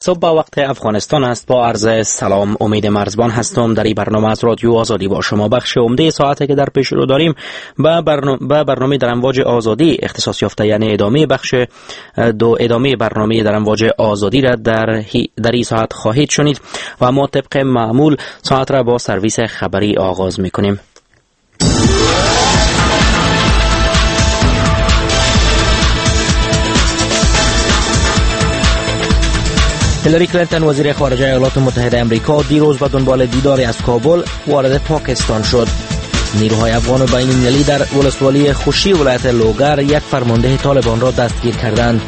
صبح با وقت افغانستان است. با عرض سلام، امید مرزبان هستم. در این برنامه از رادیو آزادی با شما بخش عمده ساعتی که در پیش رو داریم به برنامه در امواج آزادی اختصاص یافته، یعنی ادامه بخش دو ادامه برنامه در امواج آزادی را در این ساعت خواهید شنید و ما طبق معمول ساعت را با سرویس خبری آغاز میکنیم. هیلاری کلینتون وزیر خارجه ایالات متحده امریکا دیروز به دنبال دیداری از کابل وارد پاکستان شد. نیروهای افغان و بین‌المللی در ولسوالی خوشی ولایت لوگر یک فرمانده طالبان را دستگیر کردند.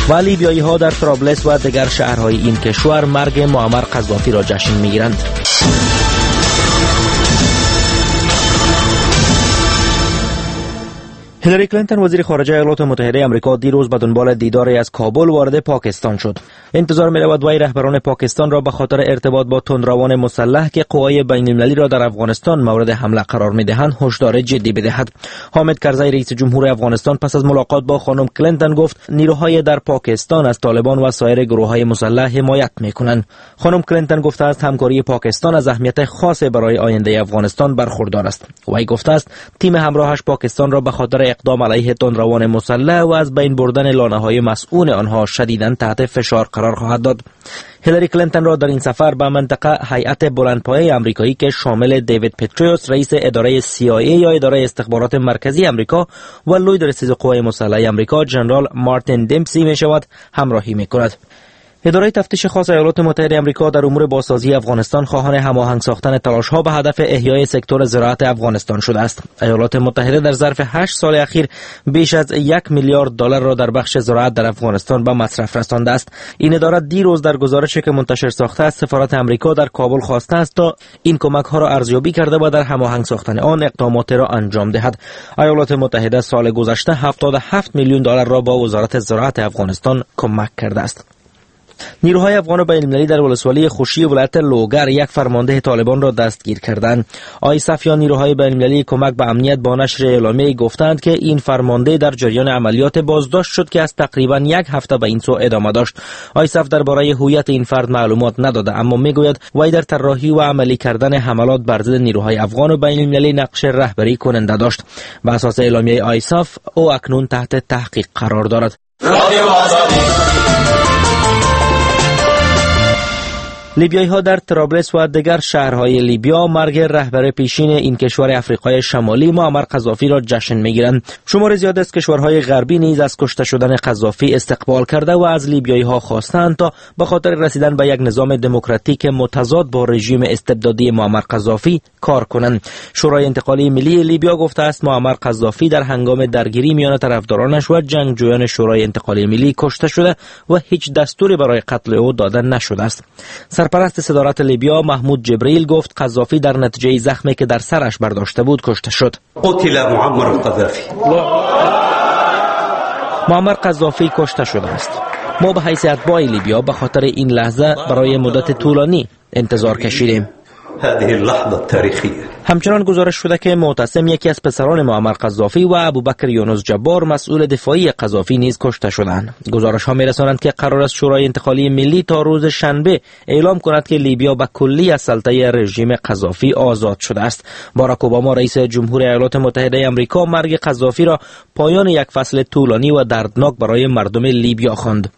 و لیبیایی‌ها در طرابلس و دیگر شهرهای این کشور مرگ معمر قذافی را جشن می‌گیرند. هیلاری کلینتون وزیر خارجه ایالات متحده امریکا دیروز به دنبال دیداری از کابل وارد پاکستان شد. انتظار می‌رود وی رهبران پاکستان را به خاطر ارتباط با تندروان مسلح که قوای بین‌المللی را در افغانستان مورد حمله قرار می‌دهند هشدار جدی بدهد. حامد کرزی رئیس جمهور افغانستان پس از ملاقات با خانم کلینتون گفت نیروهای در پاکستان از طالبان و سایر گروه‌های مسلح حمایت می‌کنند. خانم کلینتون گفته است همکاری پاکستان از اهمیت خاص برای آینده افغانستان برخوردار است. وی گفته است تیم همراهش پاکستان را به خاطر اقدام علیه تندروان مسلح و از بین بردن لانه‌های مسئول آنها شدیداً تحت فشار قرار خواهد داد. هیلاری کلینتون را در این سفر به منطقه هیئت بلندپایه آمریکایی که شامل دیوید پتریوس رئیس اداره CIA یا اداره استخبارات مرکزی آمریکا و لوی درستیز قوای مسلح آمریکا جنرال مارتین دمپسی می شود همراهی می کند. اداره تفتیش خاص ایالات متحده آمریکا در امور بازسازی افغانستان خواهان هماهنگ ساختن تلاش‌ها به هدف احیای سکتور زراعت افغانستان شده است. ایالات متحده در ظرف 8 سال اخیر بیش از 1 میلیارد دلار را در بخش زراعت در افغانستان به مصرف رسانده است. این اداره دیروز در گزارشی که منتشر ساخته است، سفارت آمریکا در کابل خواسته است تا این کمک‌ها را ارزیابی کرده و در هماهنگ ساختن آن اقدامات را انجام دهد. ایالات متحده سال گذشته 77 میلیون دلار را با وزارت زراعت افغانستان کمک کرده است. نیروهای افغان و بین‌المللی در ولسوالی خوشی ولایت لوگر یک فرمانده طالبان را دستگیر کردند. آیسف یا نیروهای بین‌المللی کمک به امنیت با نشر اعلامیه گفتند که این فرمانده در جریان عملیات بازداشت شد که از تقریبا یک هفته به این سو ادامه داشت. آیسف درباره هویت این فرد معلومات نداده، اما میگوید وی در طراحی و عملی کردن حملات بر ضد نیروهای افغان و بین‌المللی نقش رهبری کننده داشت. به اساس اعلامیه آیسف او اکنون تحت تحقیق قرار دارد. لیبیایی ها در طرابلس و دیگر شهرهای لیبیا مرگ رهبر پیشین این کشور افریقای شمالی معمر قذافی را جشن میگیرند. شمار زیاد از کشورهای غربی نیز از کشته شدن قذافی استقبال کرده و از لیبیایی ها خواستند تا به خاطر رسیدن به یک نظام دموکراتیک متضاد با رژیم استبدادی معمر قذافی کار کنند. شورای انتقالی ملی لیبیا گفته است معمر قذافی در هنگام درگیری میان طرفدارانش و جنگجویان شورای انتقالی ملی کشته شده و هیچ دستوری برای قتل او داده نشده است. سرپرست صدارت لیبیا محمود جبریل گفت قذافی در نتیجه زخمی که در سرش برداشته بود کشته شد. قتل معمر القذافی. معمر قذافی کشته شده است. ما به حیث اتباع لیبیا به خاطر این لحظه برای مدت طولانی انتظار کشیدیم. هذه اللحظة التاريخية. همچنان گزارش شده که معتصم یکی از پسران معمر قذافی و ابوبکر یونس جبار مسئول دفاعی قذافی نیز کشته شدند. گزارش ها می‌رسانند که قرار است شورای انتقالی ملی تا روز شنبه اعلام کند که لیبیا به کلی از سلطه رژیم قذافی آزاد شده است. باراک اوباما رئیس جمهور ایالات متحده آمریکا مرگ قذافی را پایان یک فصل طولانی و دردناک برای مردم لیبیا خواند.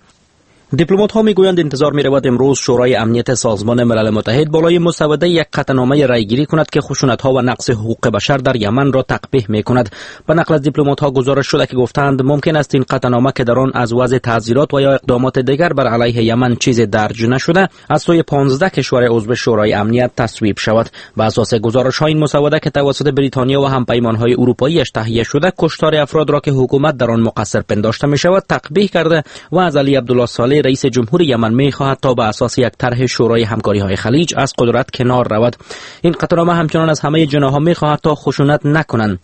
دیپلمات ها میگویند انتظار می رود امروز شورای امنیت سازمان ملل متحد بالای مسوده یک قطعنامه رأیگیری کند که خشونت ها و نقض حقوق بشر در یمن را تقبیح می کند. به نقل از دیپلمات ها گزارش شده که گفتند ممکن است این قطعنامه که در آن از وضع تعزیرات و یا اقدامات دیگر بر علیه یمن چیز درج نشده از سوی 15 کشور عضو شورای امنیت تصویب شود. به اساس گزارش ها این مسوده که توسط بریتانیا و همپیمان های اروپاییش تهیه شده کشتار افراد را که حکومت در آن مقصر پنداشته می شود تقبیح کرده و از علی عبدالله صالح رئیس جمهور یمن می‌خواهد تا به اساس یک طرح شورای همکاری‌های خلیج از قدرت کنار رود. این قطعنامه همچنان از همه جناح‌ها می‌خواهد تا خشونت نکنند.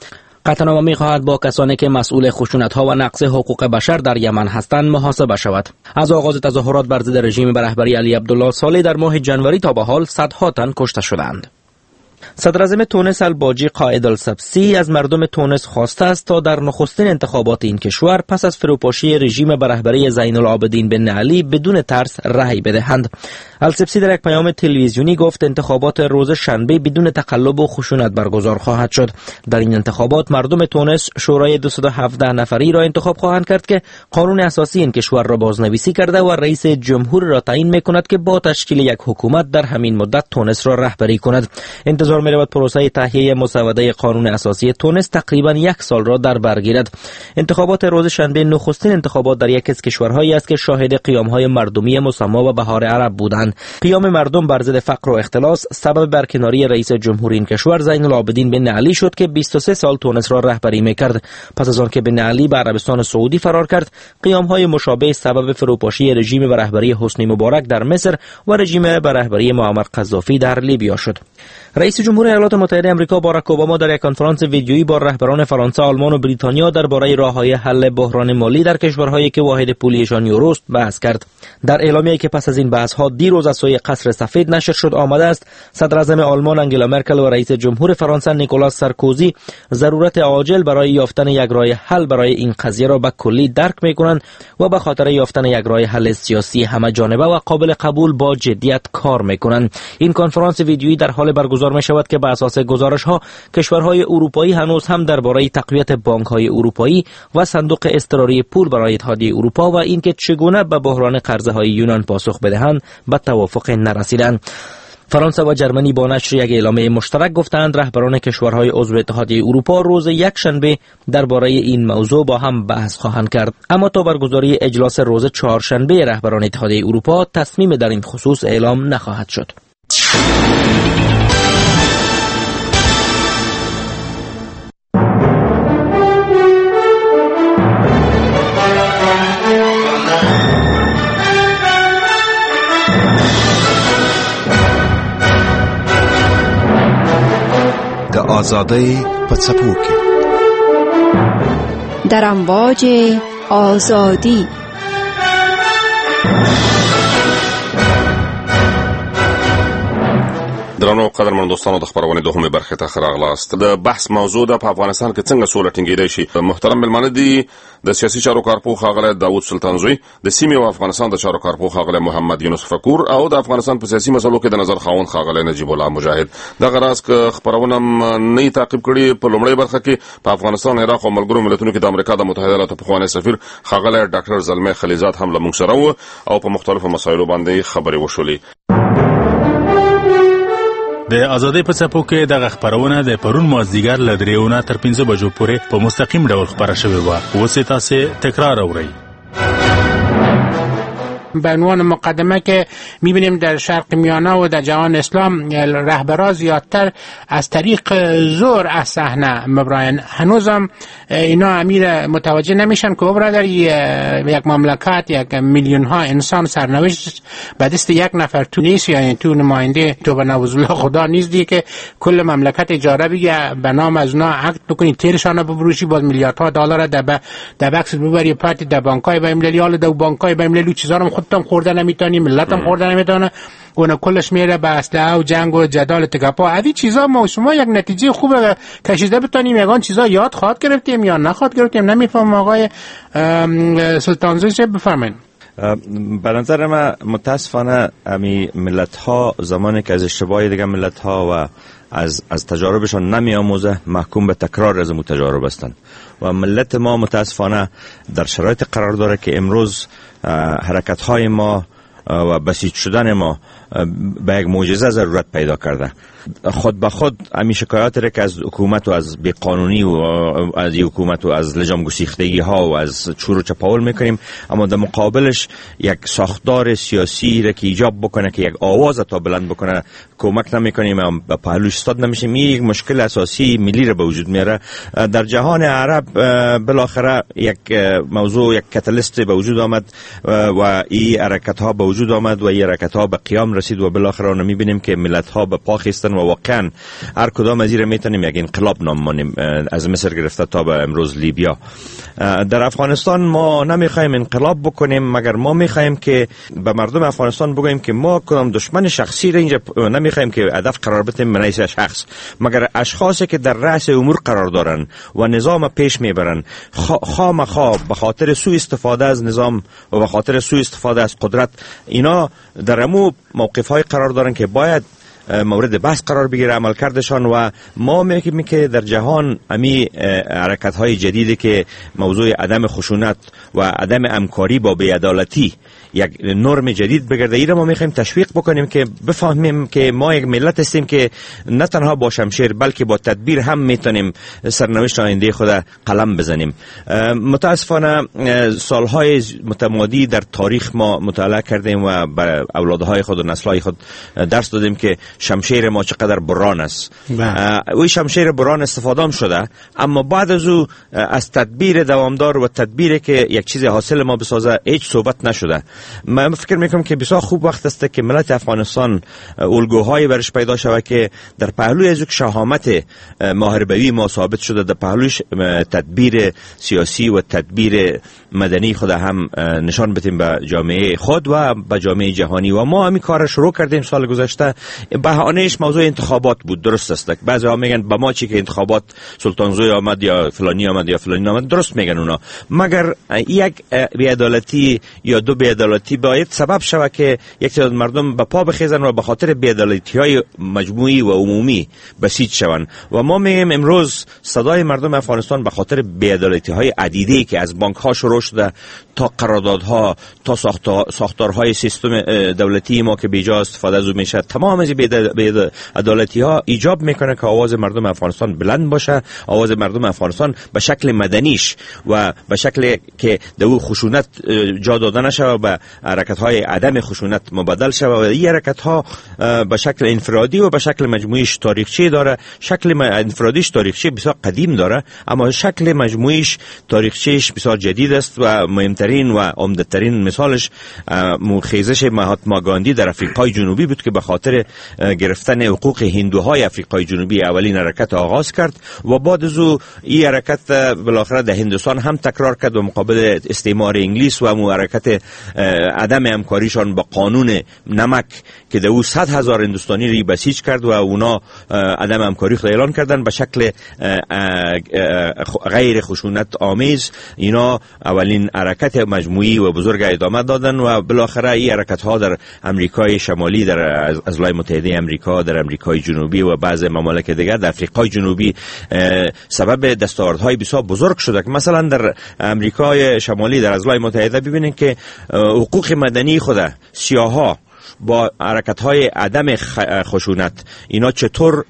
قطعنامه می‌خواهد با کسانی که مسئول خشونت‌ها و نقض حقوق بشر در یمن هستند محاسبه شود. از آغاز تظاهرات بر ضد رژیم به رهبری علی عبدالله صالح در ماه جنوری تا به حال صدها تن کشته شدند. صدراعظم تونس الباجی قائد السبسی از مردم تونس خواسته است تا در نخستین انتخابات این کشور پس از فروپاشی رژیم به رهبری زین العابدین بن علی بدون ترس رأی بدهند. السبسی در یک پیام تلویزیونی گفت انتخابات روز شنبه بدون تقلب و خشونت برگزار خواهد شد. در این انتخابات مردم تونس شورای 217 نفری را انتخاب خواهند کرد که قانون اساسی این کشور را بازنویسی کرده و رئیس جمهور را تعیین میکند که با تشکیل یک حکومت در همین مدت تونس را رهبری کند. انتظار می‌رود پروسه تهیه مسوده قانون اساسی تونس تقریبا 1 سال را در بر گیرد. انتخابات روز شنبه نخستین انتخابات در یکی از کشورهایی است که شاهد قیام‌های مردمی مسما و بهار عرب بودند. قیام مردم بر ضد فقر و اختلاس سبب برکناری رئیس جمهور این کشور زین العابدین بن علی شد که 23 سال تونس را رهبری می‌کرد. پس از آن که بن علی به عربستان سعودی فرار کرد، قیام‌های مشابه سبب فروپاشی رژیم به رهبری حسنی مبارک در مصر و رژیم به رهبری معمر قذافی در لیبیا شد. رئیس جمهور ایالات متحده آمریکا باراک اوباما در یک کنفرانس ویدیویی با رهبران فرانسه، آلمان و بریتانیا درباره راه‌های حل بحران مالی در کشورهایی که واحد پولیشان یوروست بحث کرد. در اعلامیه‌ای که پس از این بحث‌ها دیروز از سوی قصر سفید نشر شد آمده است صدراعظم آلمان انگلا مرکل و رئیس جمهور فرانسه نیکولاس سارکوزی ضرورت عاجل برای یافتن یک راه حل برای این قضیه را به کلی درک می‌کنند و به خاطر یافتن یک راه حل سیاسی همه جانبه و قابل قبول با جدیت کار می‌کنند. این کنفرانس ویدیویی در حال برگزار می شود که به اساس گزارش‌ها کشورهای اروپایی هنوز هم درباره تقویت بانک‌های اروپایی و صندوق اضطراری پول برای اتحادیه اروپا و اینکه چگونه به بحران قرضه‌های یونان پاسخ بدهند به توافق نرسیدند. فرانسه و جرمنی با نشر یک اعلامیه مشترک گفتند رهبران کشورهای عضو اتحادیه اروپا روز یکشنبه درباره این موضوع با هم بحث خواهند کرد. اما تا برگزاری اجلاس روز چهارشنبه رهبران اتحادیه اروپا تصمیم در این خصوص اعلام نخواهد شد. د آزادۍ په څپو کې، در امواج آزادی. درنو قدرمنو دوستانو، د خپرونې دوهمې برخې ته ښه راغلاست. د بحث موضوع ده په افغانستان کې څنګه سوله ټینګېدای شي. محترم مېلمانه دي د سیاسي چارو کارپوه ښاغلی داوود سلطانزوی، د سیمې او افغانستان د چارو کارپوه ښاغلی محمد یونس فکور او د افغانستان په سیاسي مسلو کې د نظر خاوند ښاغلی نجیب الله مجاهد. دغه راز که خپرونه نه تعقیب کړي، په لومړۍ برخه کې په افغانستان، عراق او ملګرو ملتونو کې د امریکا د متحده ایالاتو پخوانی سفیر ښاغلی ډاکټر زلمی خلیلزاد هم له موږ سره و او په مختلفو مسایلو باندې خبرې وشولې. د ازادۍ په څپو کې دغه خپرونه د پرون مازدیګر له 3 نه تر 5 بجو پورې په مستقیم ډول خپره شوې وه. اوس یې تاسې تکرار اورئ. به عنوان مقدمه که میبینیم در شرق میانه و در جهان اسلام رهبرا زیادتر از طریق زور از صحنه مبراین، هنوزم اینا امیر متوجه نمیشن که برادر یک مملکت، یک میلیون ها انسان سرنوشت به دست یک نفر تو نیست، یعنی تو نماینده تو به نعوذ بالله خدا نیست دیگه که کل مملکت اجاره بگیره به نام از اونا عقد بکنی، تیرشان بفروشی، باز میلیاردها دلار در بکس ببری پارتی در بانک‌های بین‌المللی، حالا در بانک‌های بین‌المللی چیزا رو خودت هم خورده نمیتونی، ملت هم خورده نمیتونه، اون کلش میره به اسلحه و جنگ و جدال تکپا. از این چیزا ما شما یک نتیجه خوب کشیده بتونیم، یگان چیزا یاد خواهد گرفتیم یا نخواهد گرفتیم نمیفهمم. آقای سلطانزوی چه بفرمایید؟ به نظر من متاسفانه امی ملت ها زمانی که از اشتباه دیگه ملت ها و از تجاربشان نمی آموزه، محکوم به تکرار از اون تجارب هستند و ملت ما متاسفانه در شرایط قرار داره که امروز حرکت های ما و بسیج شدن ما به یک معجزه ضرورت پیدا کرده. خود به خود همین شکایات را که از حکومت و از بیقانونی و از حکومت و از لجام گسیختگی ها و از چور و چپاول میکنیم، اما در مقابلش یک ساختار سیاسی را که ایجاب بکنه که یک آواز تا بلند بکنه کمک نمیکنیم، به پهلوش استاد نمیشیم. یک مشکل اساسی ملی را به وجود میاره. در جهان عرب بالاخره یک موضوع، یک کاتالیست به وجود آمد و این حرکت ها به وجود وجود آمد و این حرکت ها به قیام رسید و بالاخره آن میبینیم که ملت ها به پا خیستن و واقعا هر کدام از این میتونیم یک انقلاب نام مانیم، از مصر گرفته تا به امروز لیبیا. در افغانستان ما نمیخوایم انقلاب بکنیم، مگر ما میخوایم که به مردم افغانستان بگوییم که ما کدام دشمن شخصی را اینجا نمیخوایم که هدف قرار بدیم من حیث شخص، مگر اشخاصی که در رأس امور قرار دارن و نظام پیش میبرن خامخا به خاطر سوء استفاده از نظام و به خاطر سوء استفاده از قدرت، اینا در امو موقف های قرار دارن که باید مورد بحث قرار بگیره عملکردشان. و ما میگیم که در جهان امی حرکت های جدیدی که موضوع عدم خشونت و عدم همکاری با بی‌عدالتی یک نرم جدید بگرده، ایره ما میخوایم تشویق بکنیم که بفهمیم که ما یک ملت هستیم که نه تنها با شمشیر بلکه با تدبیر هم میتونیم سرنوشت آینده خود قلم بزنیم. متاسفانه سالهای متمادی در تاریخ ما مطالعه کردیم و بر اولادهای خود و نسلهای خود درس دادیم که شمشیر ما چقدر بران است. اوی شمشیر بران استفاده هم شده، اما بعد از او از تدبیر دوامدار و تدبیر که یک چیز حاصل ما بسازه هیچ صحبت نشده. من فکر میکنم که بسیار خوب وقت است که ملت افغانستان الگوهای برش پیدا شود که در پهلوی از یک شهامت محاربوی ما ثابت شده، در پهلویش تدبیر سیاسی و تدبیر مدنی خود هم نشان بدیم به جامعه خود و به جامعه جهانی. و ما همین کار شروع کردیم سال گذشته. بهانهش موضوع انتخابات بود، درست است. بعضی ها میگن به ما چی که انتخابات سلطانزوی آمد یا فلانی آمد یا فلانی آمد، درست میگن اونا، مگر یک بی‌عدالتی یا دو بی‌عدالتی باید سبب شود که یک تعداد مردم به پا بخیزن و به خاطر بی‌عدالتی های مجموعی و عمومی بسیج شوند. و ما میگیم امروز صدای مردم افغانستان به خاطر بی‌عدالتی های عدیده که از بانک ها شروع شده تا قراردادها تا ساختارهای سیستم دولتی ما که بیجا استفاده از او میشه، تمام از بی‌عدالتی ها ایجاب میکنه که آواز مردم افغانستان بلند باشه، آواز مردم افغانستان به شکل مدنیش و به شکل که در او خشونت جا داده نشه و به حرکت های عدم خشونت مبدل شه. و این حرکت ها به شکل انفرادی و به شکل مجموعیش تاریخچه داره. شکل انفرادیش تاریخچه بسیار قدیم داره، اما شکل مجموعیش تاریخچهش بسیار جدید است و مهمترین و عمده‌ترین مثالش خیزش مهاتما گاندی در افریقای جنوبی بود که به خاطر گرفتن حقوق هندوهای افریقای جنوبی اولین حرکت آغاز کرد و بعد از او این حرکت بالاخره در هندوستان هم تکرار کرد و مقابل استعمار انگلیس و حرکت عدم همکاریشان با قانون نمک که در او 100,000 هندوستانی را بسیج کرد و اونا عدم همکاری خود اعلان کردن به شکل غیر خشونت آمیز. اینا اولین حرکت مجموعی و بزرگ ادامه دادن و بالاخره این حرکت ها در امریکای شمالی، در اضلاع متحده امریکا، در امریکای جنوبی و بعض ممالک دیگر در افریقای جنوبی سبب دستاوردهای بسیار بزرگ شده. که مثلا در امریکای شمالی در اضلاع متحده ببینید که حقوق مدنی خود سیاها با حرکت‌های عدم خشونت اینا چطور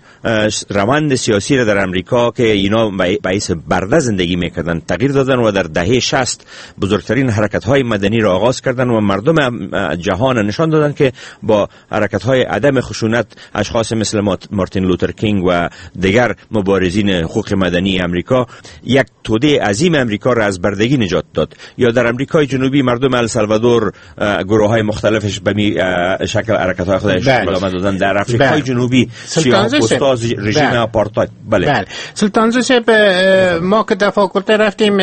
روند سیاسی را در امریکا که اینا به حیث برده زندگی میکردن تغییر دادن و در دهه 60 بزرگترین حرکت‌های مدنی را آغاز کردن و مردم جهان نشان دادن که با حرکت‌های عدم خشونت اشخاص مثل مارتین لوتر کینگ و دیگر مبارزین حقوق مدنی امریکا یک توده عظیم امریکا را از بردگی نجات داد. یا در امریکای جنوبی مردم السالوادور گروه‌های مختلفش به شکل حرکت‌های خودش ادامه دادن. در افریقای جنوبی سیاه‌پوست‌ها رژیم آپارتاید. بله. سلطانزوی صاحب، ما که در فاکولته رفتیم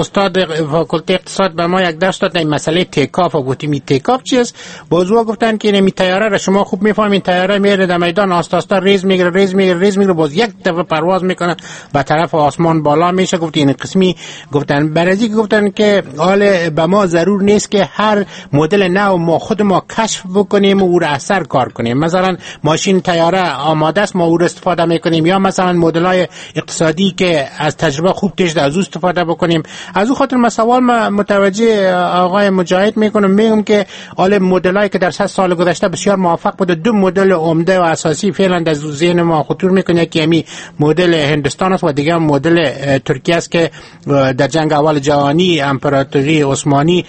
استاد فاکولته اقتصاد به ما یک درس داد این مسئله take off و گفتیم این take off چیست؟ بازو گفتن که این طیاره را شما خوب میفهمین، طیاره میره در میدان آستا آستا ریز میگیره ریز میگیره ریز میگیره، باز یک دفعه پرواز میکنه به طرف آسمان بالا میشه. گفت این قسمی گفتن برازی گفتن که حال به ما ضرور نیست که هر مدل نو ما خود ما کشف بکنیم و او را اثر کار کنیم. مثلا ماشین طیاره آماده است، ما او را استفاده میکنیم، یا مثلا مدل‌های اقتصادی که از تجربه خوب تشده از او استفاده بکنیم. از او خاطر من سوال متوجه آقای مجاهد میکنم، میگم که حال مدل‌هایی که در 100 سال گذشته بسیار موفق بوده، دو مدل عمده و اساسی فعلا در ذهن ما خطور میکنه که یمی مدل هندوستان است و دیگه مدل ترکیه است که در جنگ اول جهانی امپراتوری عثمانی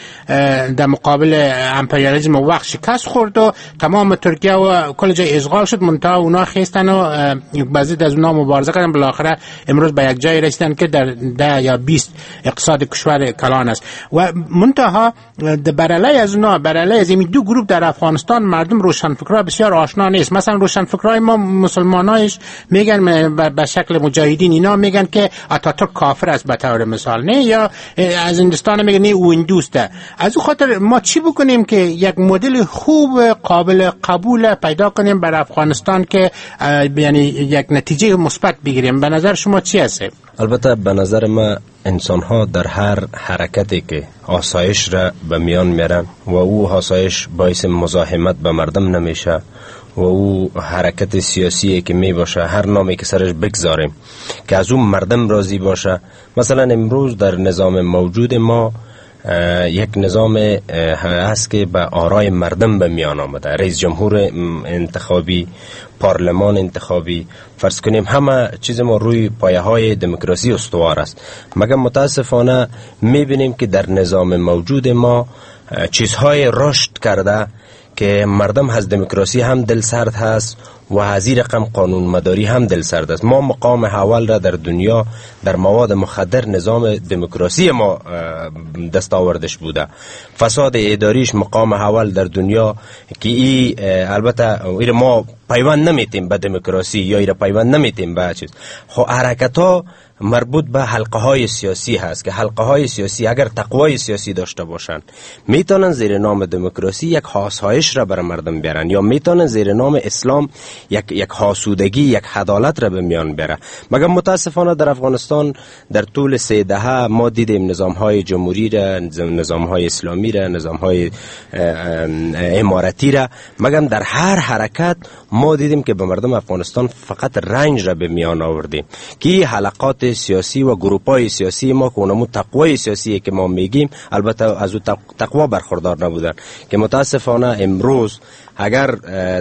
در مقابل امپریالیسم وقت شکست خورد. خورد و تمام ترکیه و کل جای اشغال شد، منتها اونا خیستن و بعضی از اونا مبارزه کردن، بالاخره امروز به یک جای رسیدن که در 10 یا 20 اقتصاد کشور کلان است. و منتها برعلیه از اونا، برعلیه از این دو گروه در افغانستان مردم روشنفکرها بسیار آشنا نیست. مثلا روشنفکرای ما مسلمانایش میگن به شکل مجاهدین اینا میگن که اتاتورک کافر است به طور مثال، نه، یا از هندوستان میگن نه او هندوسته. از او خاطر ما چی بکنیم که یک مدل خوب قابل قبول پیدا کنیم بر افغانستان که یعنی یک نتیجه مثبت بگیریم؟ به نظر شما چی هست؟ البته به نظر ما انسان ها در هر حرکتی که آسایش را به میان میرن و او آسایش باعث مزاحمت به مردم نمیشه و او حرکت سیاسی که می باشه، هر نامی که سرش بگذاریم که از اون مردم راضی باشه. مثلا امروز در نظام موجود ما یک نظام هست که به آرای مردم به میان آمده، رئیس جمهور انتخابی، پارلمان انتخابی، فرض کنیم همه چیز ما روی پایه های دموکراسی استوار است. مگر متاسفانه میبینیم که در نظام موجود ما چیزهای رشد کرده که مردم از دموکراسی هم دل سرد هست و از این رقم قانون مداری هم دل سرد است. ما مقام اول را در دنیا در مواد مخدر نظام دموکراسی ما دستاوردش بوده، فساد اداریش مقام اول در دنیا که ای البته ایر ما پیوند نمیتیم به دموکراسی یا ایر پیوند نمیتیم به چیز. خب حرکت ها مربوط به حلقه های سیاسی هست که حلقه های سیاسی اگر تقوای سیاسی داشته باشند میتونن زیر نام دموکراسی یک آسایش را بر مردم بیارن، یا میتونن زیر نام اسلام یک آسودگی، یک عدالت را به میان بیارن. مگر متاسفانه در افغانستان در طول 3 دهه ما دیدیم نظام های جمهوری را، نظام های اسلامی را، نظام های امارتی را، مگر در هر حرکت ما دیدیم که به مردم افغانستان فقط رنج را به میان آوردیم که حلقات سیاسی و گروپ‌های سیاسی ما که اونمو تقوای سیاسی که ما میگیم البته از او تقوا برخوردار نبودن که متاسفانه امروز اگر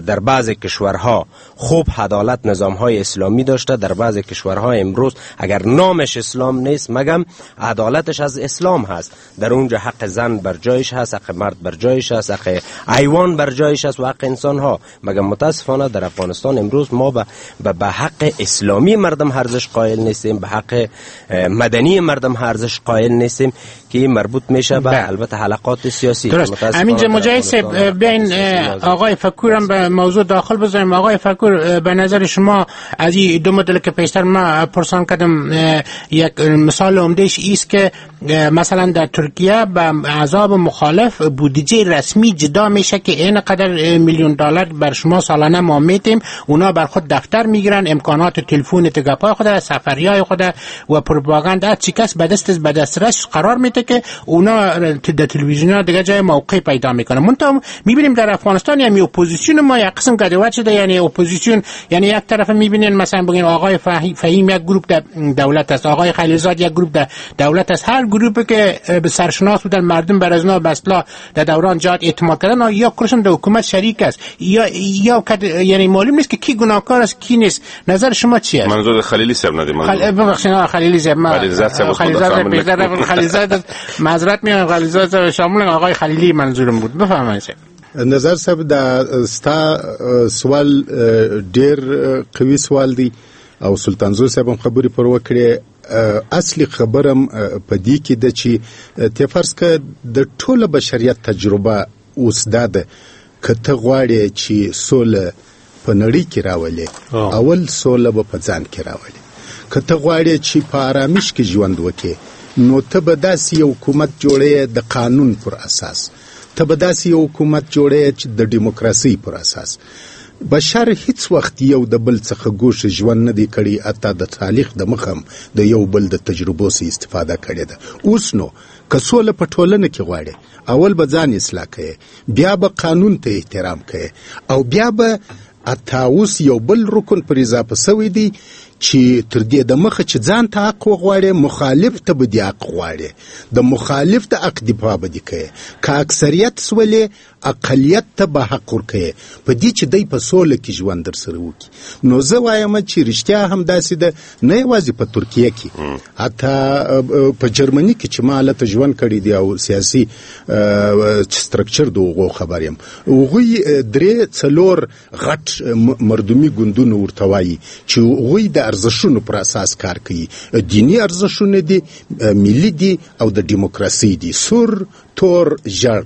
در بعض کشورها خوب عدالت نظام‌های اسلامی داشته، در بعض کشورها امروز اگر نامش اسلام نیست مگم عدالتش از اسلام هست. در اونجا حق زن بر جایش هست، حق مرد بر جایش هست، حق حیوان بر جایش هست و حق انسان‌ها. مگم متاسفانه در افغانستان امروز ما به حق اسلامی مردم ارزش قائل نیستیم، به حق مدنی مردم ارزش قائل نیستیم که مربوط میشه به البته حلقات سیاسی. درست. همینجا مجاهد بین آقای فکورم به موضوع داخل بذاریم. آقای فکور، به نظر شما از این دو مدل که پیشتر ما پرسان کردم یک مثال عمدهش ایست که مثلا در ترکیه به احزاب مخالف بودجه رسمی جدا میشه که این قدر میلیون دلار بر شما سالانه ما میتیم، اونا بر خود دفتر میگیرن، امکانات تلفن تگپای خود، سفریای خود و پروپاگاندا چی کس به دست به دسترس قرار میده که اونا در تلویزیون دیگه جای موقع پیدا میکنه. منتها میبینیم در افغانستان یعنی اپوزیسیون ما یک قسم گدوت شده، یعنی اپوزیسیون یعنی یک طرف میبینین مثلا بگین آقای فهیم یک گروپ در دولت است، آقای خلیلزاد یک گروپ در دولت است، هر گروپی که به سرشناس بودن مردم بر از اونا به اصطلاح در دوران جهاد اعتماد کردن یا کلشون در حکومت شریک است یا یعنی معلوم نیست که کی گناهکار است کی نیست. نظر شما چی است؟ منظور خلیلی صاحب ندیم، ببخشید خلیلی صاحب، من خلیلزاد معذرت می‌خوام، خلیلزاد شامل آقای خلیلی منظورم بود. بفرمایید. نظر صاحب دا ستا سوال ډیر قوي سوال دی او سلطانزو صاحب هم خبرې پر وکړې. اصلي خبرم په دې کې ده چې ته فرض که د ټوله بشریت تجربه اوس دا ده که ته غواړې چې سوله په نړۍ کې راولې، اول سوله به په ځان کې راولې. که ته غواړې چې په آرامش کې ژوند وکړې نو ته به داسې یو حکومت جوړې د قانون پر اساس، ته به داسې یو حکومت جوړې چې د دیموکراسۍ پر اساس. بشر هیڅ وخت یو د بل څخه ګوښه ژوند نه دی کړی، حتی د تاریخ د مخه هم د یو بل د تجربو څخه استفاده کړې ده. اوس نو که سوله په ټولنه کې غواړې اول به ځان اصلاح کوې، بیا به قانون ته احترام کوې، او بیا به حتی اوس یو بل رکن پر اضافه سوی دی چې تر دې د مخه چې ځان ته حق وغواړې، مخالف ته به دې حق غواړې، د مخالف د حق دفاع به دې کوې. که اکثریت سولې، اقلیت ته به حق ورکوې، په دې چې دی په سوله کې ژوند در سره وکړي. نو زه وایم چې رښتیا هم داسې ده، نه یوازې په ترکیه کې، حتی په جرمني کې چې ما هلته ژوند کړی دی او سیاسي سترکچر د هغو خبر یم، هغوی 3-4 غټ مردمي ګوندونه ورته وایي چې هغوی د ارزښتونو پر اساس کار کوي. دیني ارزښتونه دي، ملي دي او د دیموکراسي دي. سور، تور، ژړ،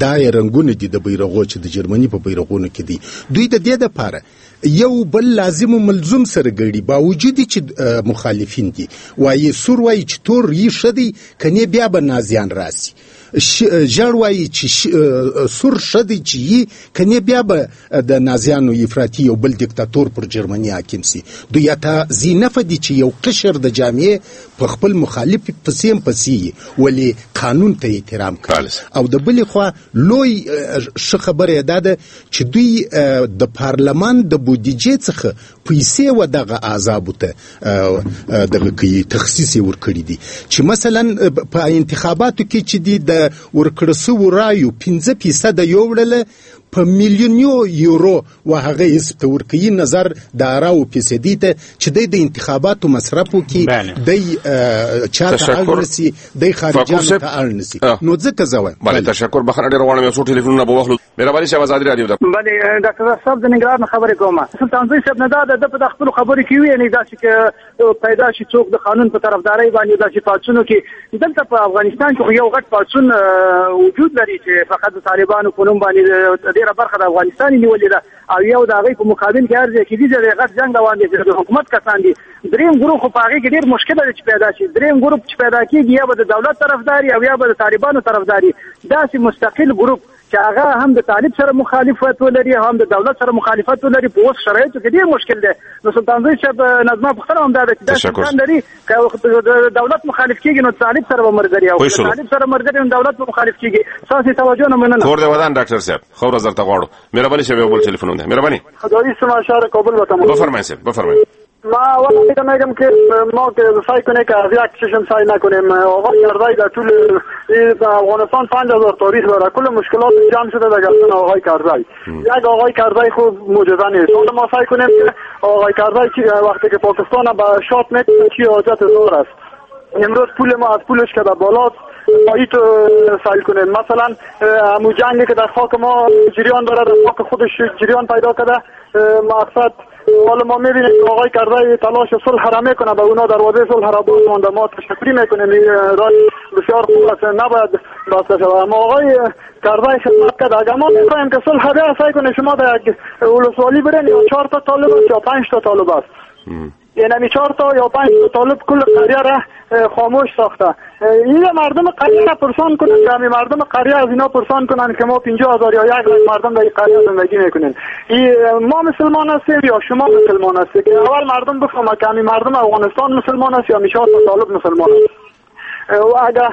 دا یې رنګونه دي د بیرغو چې د جرمني په بیرغونو کې دي. دوی د دې دپاره یو بل لازم و ملزوم سره ګړي، باوجود چې مخالفین دي. وایي سور وایي چې تور یې ښه دی، کنې بیا به نازیان راسي. ژړ وایي چې سور ښه دی چې یي، کنې بیا به د نازیانو افراطي یو بل دیکتاتور پر جرمني حاکم سي. دوی حتی ذینفع دي چې یو قشر د جامعې په خپل مخالف پسې هم پسې یي، ولې قانون ته احترام کوي. او د بلې خوا لوی ښه خبره یې دا ده چې دوی د پارلمان د بودیجې څخه پیسې و دغه احزابو ته دغه کوي، تخصیص یې ورکړي دي چې مثلا په انتخاباتو کې چې دي د ورکړه سوو رایو 5% یوړله په میلیونو یورو و هغه حزب ته ورکوي، نظر د اراو فیصدي ته چې دی د انتخاباتو مصرف وکړي، دی چا ته اړ نه سي، دی خارجیانو ته اړ نه سي. نو ځکه زه وایم. بله، تشکر. بخښنه ډېره غواړم، یو څو ټلیفونونه به واخلو. مهرباني صاحب، ازادي راډیو ده. بله، ډاکټر صاحب د ننګرهار نه خبرې کوم. سلطانزوی صاحب نه دا ده په خپلو خبرو کې ویلي داسې که پیدا شي څوک د قانون په طرفدارۍ باندې داسې پاڅونو کې، دلته په افغانستان کې خو یو غټ پاڅون وجود لري چې فقط د طالبانو په نوم باندې ډېره برخه د افغانستان یې نیولې ده، او یو د هغې په مقابل کې هر ځای کې دي چې غټ جنګ روان دی چې د حکومت کسان دي. دریم ګروپ خو په هغې کې ډېر مشکل دی چې پیدا شي. دریم ګروپ چې پیدا کېږي یا به د دولت طرفداري او یا به د طالبانو طرفداري. داسې مستقل ګروپ چې هغه هم د طالب سره مخالفت ولري هم د دولت سره مخالفت ولري، په اوس شرایطو کې ډېر مشکل دی. نو سلطانزوی صاحب نظمه پوښتنه هم دا ده چې داسې امکان لري که دولت مخالف کېږي نو طالب سره به ملګري، او که طالب سره ملګري نو دولت به مخالف کېږي. ستاسې توجه نه مننه. کور دې ودان ډاکټر صاحب، ښه ورځ درته غواړو. مهرباني صاحب، یو بل ټلیفون دی. مهرباني. خدایي سما شهر کابل وطن. بفرمایئ صاحب، بفرمایئ. ما اول میگم که ما که سعی کنه که از یک چشم سعی نکنیم. آقای کرزی در طول افغانستان 5000 تاریخ داره، کل مشکلات جمع شده در گردن آقای کرزی. یک آقای کرزی خوب معجزه نیست. حالا ما سعی کنیم که آقای کرزی وقتی که پاکستان به شات میکنه چی حاجت زار است. امروز پول ما از پولش که در بالاست باید سعی کنیم. مثلا همون جنگی که در خاک ما جریان داره، در خاک خودش جریان پیدا کرده، مقصد حالا ما میبینیم که آقای کرزی تلاش صلح را میکنه، به اونا دروازه صلح را باز مانده. ما تشکری میکنیم، راه بسیار خوب است، نباید بسته شود. اما آقای کرزی خدمت کرد. اگر ما میخواهیم که صلح را سعی کنه، شما در یک ولسوالی برین یا 4 تا طالب است یا 5 تا طالب است، یعنی 4 تا یا 5 تا طالب کل قریه را خاموش ساخته. این مردم قریه را پرسان کنن که همین مردم قریه از اینا پرسان کنن که ما 50,000 یا 1 لک مردم در این قریه زندگی میکنیم. ما مسلمان هستیم یا شما مسلمان هستید؟ که اول مردم بفهمه که همین مردم افغانستان مسلمان است یا 4 تا طالب مسلمان است. و اگر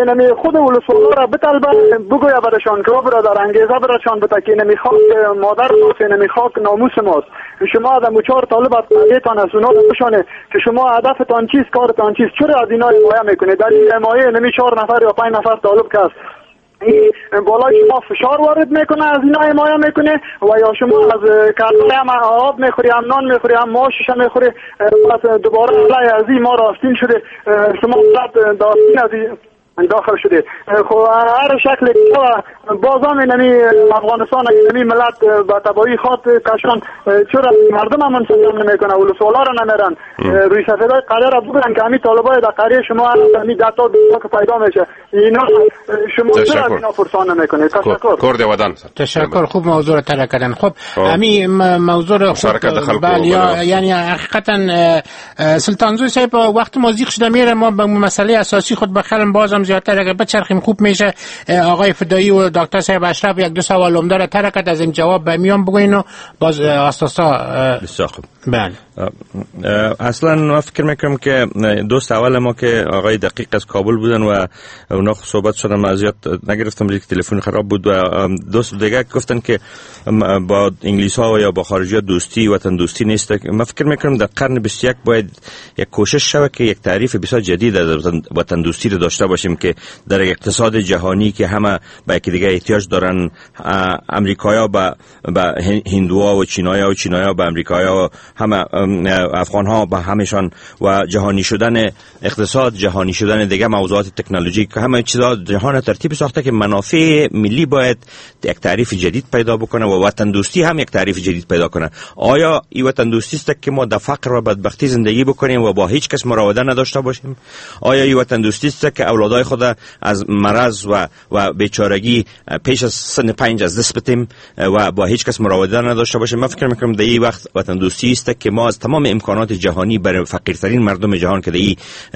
یعنی خود ولسوالا را بطلبه بگویا برشان که برادر انگیزه برشان بده که اینمی خاک مادر ماست، اینمی خاک ناموس ماست. شما از 4 طالب از قریه‌تان از اونا بشانه که شما هدفتان چیست، کارتان چیست، چرا از اینا حمایه میکنه؟ در این حمایه اینمی 4 نفر یا 5 نفر طالب که است بالای شما فشار وارد میکنه، از اینا حمایه میکنه، و یا شما از کرزی هم آب میخوری، هم نان میخوری، هم معاشش میخوری، پس دوباره علیه از این ما راستین شده، شما داستین از این داخل شده. خب هر شکل بازم اینمی افغانستان اینمی ملت به تباهی خواد کشان. چرا مردم هم منسجم نمیکنه، ولسوالا را نمیرن، روی سفیدای قریه را بگیرن که همین طالبای در قریه شما همین 10 تا 20 که پیدا میشه، اینا شما چرا از اینا پرسان نمیکنه؟ تشکر. کور دی ودان. تشکر. خوب موضوع را طرح کردن. خب همین موضوع را بله، یعنی حقیقتا سلطانزوی صاحب وقت ما زیق شده میره، ما به مسئله اساسی خود بخرم بازم زیادتر اگر بچرخیم خوب میشه. آقای فدایی و دکتر صاحب اشرف یک دو سوال عمده را طرح کرد، از این جواب به میان بگوین و باز آساسا. بسیار خوب. بله. اصلا ما فکر میکنم که دوست اول ما که آقای دقیق از کابل بودن و اونا صحبت شدن، من زیاد نگرفتم که تلفن خراب بود، و دوست دیگه گفتن که با انگلیس ها و یا با خارجی ها دوستی وطن دوستی نیست. من فکر میکنم در قرن 21 باید یک کوشش شود که یک تعریف بسیار جدید از وطن دوستی رو داشته باشیم که در اقتصاد جهانی که همه به یکی دیگه احتیاج دارن، امریکایا به هندوها و چینایا و چینایا به امریکایا و همه افغان ها به همشان، و جهانی شدن اقتصاد، جهانی شدن دیگه موضوعات تکنولوژی، که همه چیزا جهان ترتیب ساخته که منافع ملی باید یک تعریف جدید پیدا بکنه و وطن دوستی هم یک تعریف جدید پیدا کنه. آیا این وطن دوستی است که ما در فقر و بدبختی زندگی بکنیم و با هیچ کس مراوده نداشته باشیم؟ آیا این وطن دوستی است که اولادای خود از مرض و بیچارگی پیش از سن 5 از دست بدیم و با هیچ کس مراوده نداشته باشیم؟ من فکر میکنم در این وقت وطن دوستی است که ما از تمام امکانات جهانی برای فقیرترین مردم جهان که در این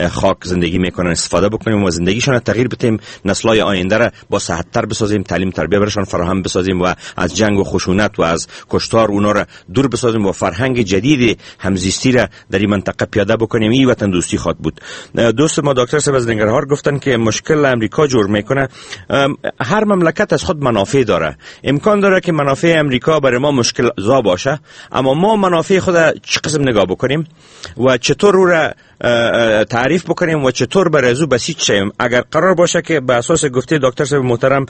خاک زندگی میکنن استفاده بکنیم و زندگیشان را تغییر بدیم، نسل‌های آینده را با صحت‌تر بسازیم، تعلیم تربیه برشان فراهم بسازیم و از جنگ و خشونت و از کشتار اونا را دور بسازیم و فرهنگ جدید همزیستی را در این منطقه پیاده بکنیم. این وطن دوستی خواهد بود. دوست ما دکتر صاحب از ننگرهار گفتن که مشکل امریکا جور میکنه. هر مملکت از خود منافع داره. امکان داره که منافع امریکا برای ما مشکل زا باشه، اما ما منافع خود چه قسم نگاه بکنیم و چطور او را تعریف بکنیم و چطور بر از او بسیج شویم. اگر قرار باشه که به اساس گفته دکتر صاحب محترم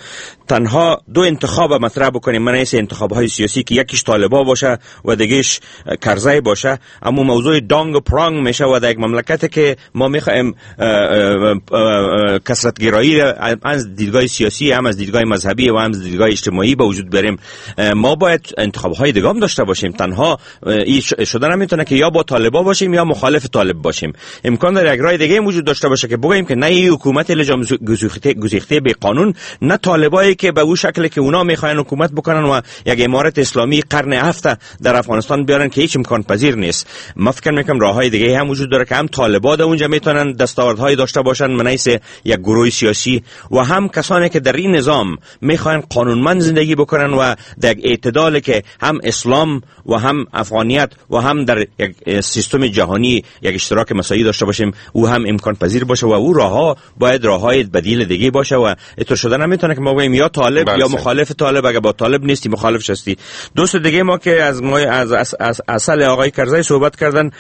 تنها دو انتخاب مطرح بکنیم، من ایس انتخاب های سیاسی که یکیش طالبا باشه و دیگهش کرزی باشه، اما موضوع دانگ و پرانگ میشه و در یک مملکت که ما میخوایم کثرت گرایی از دیدگاه سیاسی هم از دیدگاه مذهبی و هم از دیدگاه اجتماعی به وجود بریم، ما باید انتخاب های دیگه هم داشته باشیم. تنها این شده نمیتونه که یا با طالبا باشیم یا مخالف طالب باشیم. امکان داره یک راه دیگه وجود داشته باشه که بگوییم که نه این حکومت لجام گسیخته به قانون، نه طالبایی که به اون شکل که اونا میخواین حکومت بکنن و یک امارت اسلامی قرن هفت در افغانستان بیارن که هیچ امکان پذیر نیست. ما فکر میکنم راههای دیگه هم وجود داره که هم طالبا در اونجا میتونن دستاوردهای داشته باشن منحیث یک گروه سیاسی، و هم کسانی که در این نظام میخواین قانونمند زندگی بکنن و در اعتدال که هم اسلام و هم افغانیت و هم در یک سیستم جهانی یک اشتراک مساعی داشته باشیم، او هم امکان پذیر باشه و او راهها باید راههای بدیل دیگه باشه و اینطور شده نمیتونه که ما بگیم یا طالب یا مخالف طالب، اگه با طالب نیستی مخالفش هستی. دوست دیگه ما که از ما از اصل آقای کرزی صحبت کردن،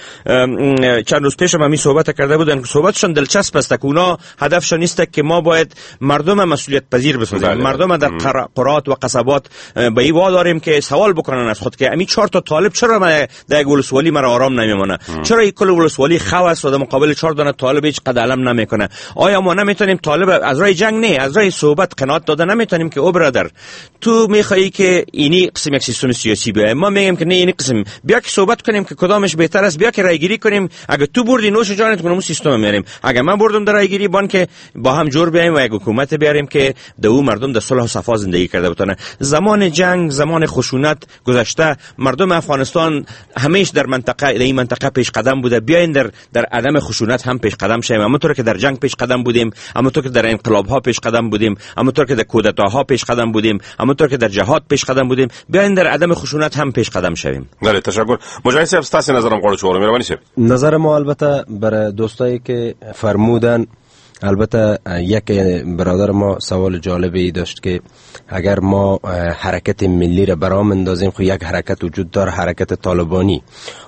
چند روز پیش هم همین صحبت کرده بودن، صحبتشون دلچسب است که اونا هدفشون نیست که ما باید مردم مسئولیت پذیر بسازیم، مردم در قرات و قصبات به این واداریم که سوال بکنن از خود که امی 4 تا طالب چرا در ولسوالی مرا آرام نمیمونه، چرا این کل ولسوالی خواست و در مقابل 4 دانه طالب هیچ قد علم نمیکنه؟ آیا ما نمیتونیم طالب از راه جنگ نه، از راه صحبت قناعت داده نمیتونیم که او برادر تو میخوایی که اینی قسم یک سیستم سیاسی بیای، ما میگیم که نه اینی قسم، بیا که صحبت کنیم که کدامش بهتر است، بیا که رای گیری کنیم، اگه تو بردی نوش جانت کنم سیستم میاریم، اگه من بردم در رای گیری بان که با هم جور بیایم و یک حکومت بیاریم که دو مردم در صلح و صفا زندگی کرده بتونه. زمان جنگ، زمان خشونت گذشته، مردم افغانستان همیشه در منطقه در این منطقه پیش قدم بوده. بیاین در عدم خشونت هم پیش قدم شویم، همونطور که در جنگ پیش قدم بودیم، همونطور که در انقلاب ها پیش قدم بودیم، همونطور که در کودتاها پیش قدم بودیم، همونطور که در جهاد پیش قدم بودیم، بیاین در عدم خشونت هم پیش قدم شویم. بله تشکر. مجاهد صاحب ستاسو نظرم غواړم چې واورم، مهرباني صاحب. نظر ما البته برای دوستایی که فرمودن، البته یک برادر ما سوال جالبی داشت که اگر ما حرکت ملی را برام اندازیم، خب یک حرکت وجود داره، حرکت طالبانی،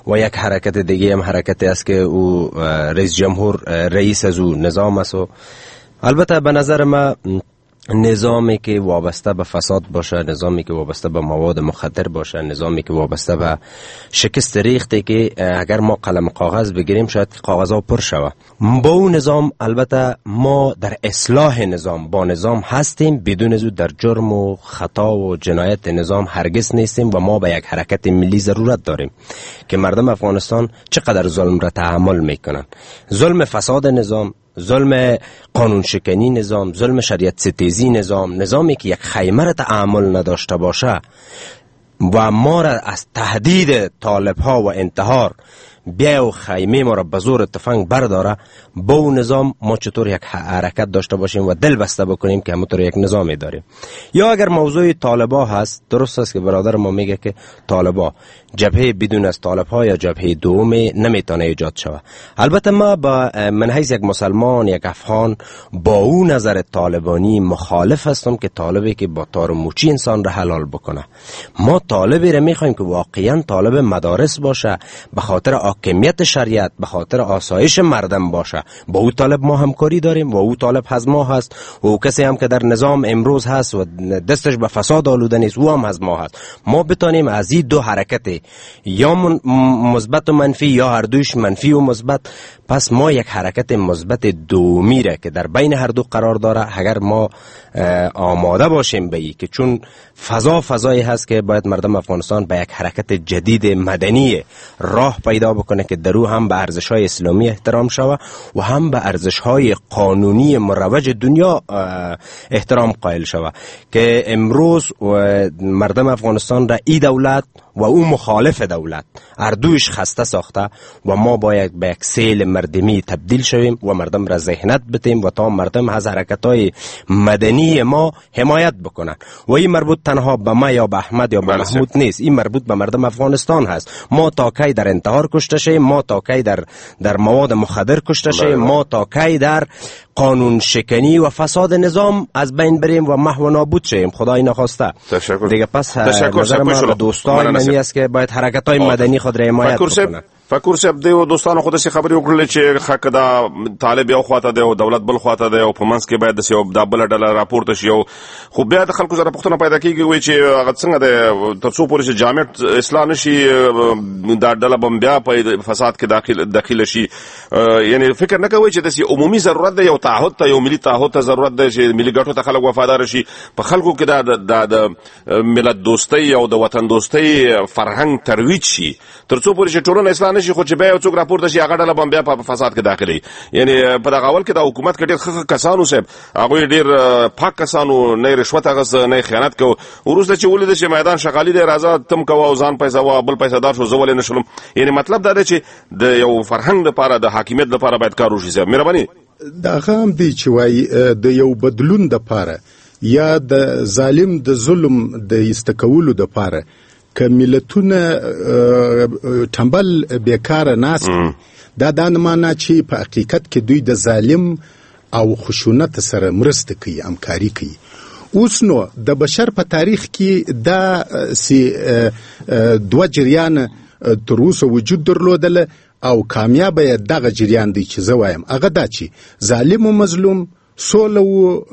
و یک حرکت دیگه هم حرکت است که او رئیس جمهور رئیس از او نظام است. و البته به نظر ما نظامی که وابسته به فساد باشه، نظامی که وابسته به مواد مخدر باشه، نظامی که وابسته به شکست ریخته که اگر ما قلم کاغذ بگیریم شاید کاغذها پر شوه، با اون نظام البته ما در اصلاح نظام با نظام هستیم، بدون از او در جرم و خطا و جنایت نظام هرگز نیستیم و ما به یک حرکت ملی ضرورت داریم که مردم افغانستان چقدر ظلم را تحمل میکنن، ظلم فساد نظام، ظلم قانون شکنی نظام، ظلم شریعت ستیزی نظام، نظامی که یک خیمه را تعامل نداشته باشه و ما را از تهدید طالب ها و انتحار بیا و خیمه ما را به زور تفنگ برداره، با اون نظام ما چطور یک حرکت داشته باشیم و دل بسته بکنیم که همونطور یک نظامی داریم. یا اگر موضوع طالبا هست، درست است که برادر ما میگه که طالبا جبهه بدون از طالبها یا جبهه دوم نمیتونه ایجاد شود. البته ما با من حیث یک مسلمان، یک افغان، با اون نظر طالبانی مخالف هستم که طالبی که با تار و موچی انسان را حلال بکنه. ما طالبی را میخوایم که واقعا طالب مدارس باشه، به خاطر حاکمیت شریعت، به خاطر آسایش مردم باشه. با او طالب ما همکاری داریم و او طالب از ما هست و او کسی هم که در نظام امروز هست و دستش به فساد آلوده نیست، او هم از ما هست. ما بتانیم از این دو حرکت، یا مثبت و منفی یا هر دویش منفی و مثبت، پس ما یک حرکت مثبت دومی را که در بین هر دو قرار داره، اگر ما آماده باشیم به ای که چون فضا فضایی هست که باید مردم افغانستان به یک حرکت جدید مدنی راه پیدا بکنه که در او هم به ارزش‌های اسلامی احترام شوه و هم به ارزش‌های قانونی مروج دنیا احترام قائل شوه، که امروز مردم افغانستان را ای دولت و او مخالف دولت هر دویش خسته ساخته و ما باید به یک سیل مردمی تبدیل شویم و مردم را ذهنت بتیم و تا مردم از حرکت‌های مدنی ما حمایت بکنن. و این مربوط تنها به ما یا به احمد یا به محمود نیست، این مربوط به مردم افغانستان هست. ما تا کی در انتحار کشته شیم، ما تا کی در مواد مخدر کشته شیم، ما تا کی در قانون شکنی و فساد نظام از بین بریم و محو و نابود شیم، خدای نخواسته. تشکر. دیگه پس نظر ما به دوستان منی است که باید حرکت‌های مدنی خود را حمایت بکنند. فکر صاحب دیو دوستانو خود سي خبرې وکړلې چې خک دا طالب یو خواته دی او دولت بل خواته دی او په منځ کې باید د یو دا بل ډله راپورته شي. خو بیا د خلکو سره پوښتنه پیدا کیږي وای چې هغه څنګه دی تر څو پورې چې جامع اصلاح نشي دا ډله بم بیا په فساد کې داخل شي. یعنی فکر نه کوي چې د عمومي ضرورت دی، یو تعهد ته، یو ملي تعهد ته ضرورت دی چې ملي ګټو ته خلک وفادار شي. په خلکو کې دا د ملت دوستۍ او د وطن دوستۍ فرهنګ ترویج شي تر څو پورې چې ټولنه اصلاح نشي. خو چې بیا یو څوک راپورته شي هغه ډله به بیا په فساد کې داخلي. یعنی په دغه اول کې د حکومت کې ډېر ښه کسانو صاحب، هغوی ډېر پاک کسانو، نه رشوت اخیست نه خیانت کوو. وروسته چې ولیدل چې میدان شغالي دی، راځه تم کوه او ځان پیسه وه بل پیسه دار شو، زه ولې نه شلم. یعنی مطلب دا دی چې د یو فرهنګ لپاره، د حاکمیت لپاره باید کار وشي. صاحب مهرباني. دا هغه هم دی چې وایي د یو بدلون دپاره یا د ظالم د ظلم د ایسته کولو دپاره که ملتونه ټنبل بیکاره ناست، دا نه معنا چې په حقیقت کې دوی د ظالم او خشونت سره مرسته کوي، همکاري کوي. اوس نو د بشر په تاریخ کې دا سي دوه جریان تر اوسه وجود درلودله او کامیابه یې دغه جریان دی چې زه وایم، هغه دا چې ظالم و مظلوم، سوله و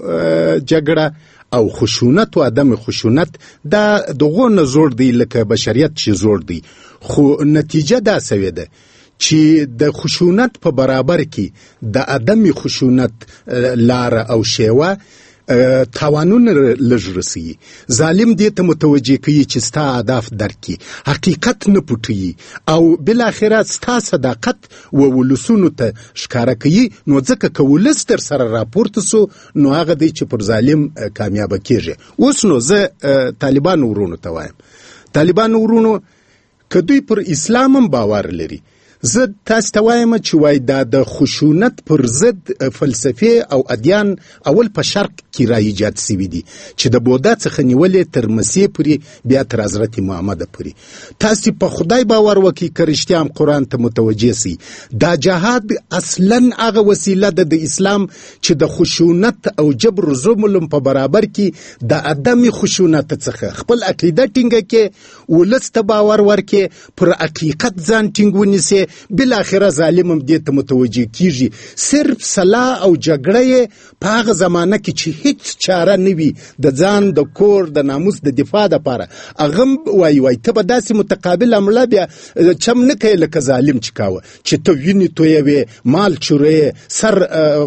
جګړه او خشونت و عدم خشونت، دا دغو نه زوړ دی لکه بشریت چې زوړ دی. خو نتیجه دا سوې ده چې د خشونت په برابر کې د عدم خشونت لاره او شیوه تاوانونه لږ رسوي. ظالم دې ته متوجه کوي چې ستا اهداف درک کړي، حقیقت نه پټوي او بالاخره ستا صداقت و ولسونو ته ښکاره کوي. نو ځکه که ولس در سره راپورته سو، نو هغه دی چې پر ظالم کامیابه کیږي. اوس نو زه طالبانو ورونو ته وایم، طالبانو ورونو که دوی پر اسلام هم باور لري، زه تاسو ته وایم چې وای دا د خشونت پر ضد فلسفې او ادیان اول په شرق کې را ایجاد سوي دي، چې د بودا څخه نیولې تر مسیح پورې بیا تر حضرت محمد پورې. تاسو په خدای باور وکړئ که رښتیا هم قرآن ته متوجه سئ، دا جهاد اصلا هغه وسیله ده د اسلام چې د خشونت او جبر ظلم په برابر کې د عدم خشونت څخه خپل عقیده ټینګه کړي، ولس ته باور ورکړي، پر حقیقت ځان ټینګ ونیسي، بالاخره ظالم هم دې ته متوجه کیږي. صرف سلاح او جګړه یې په هغه زمانه کې چې هیڅ چاره نه وي د ځان د کور د ناموس د دفاع دپاره، هغه هم وایي ته به داسې متقابل حمله بیا چم نه کوې لکه ظالم چې کاوه، چې ته وینې تویوې، مال چوروې، سر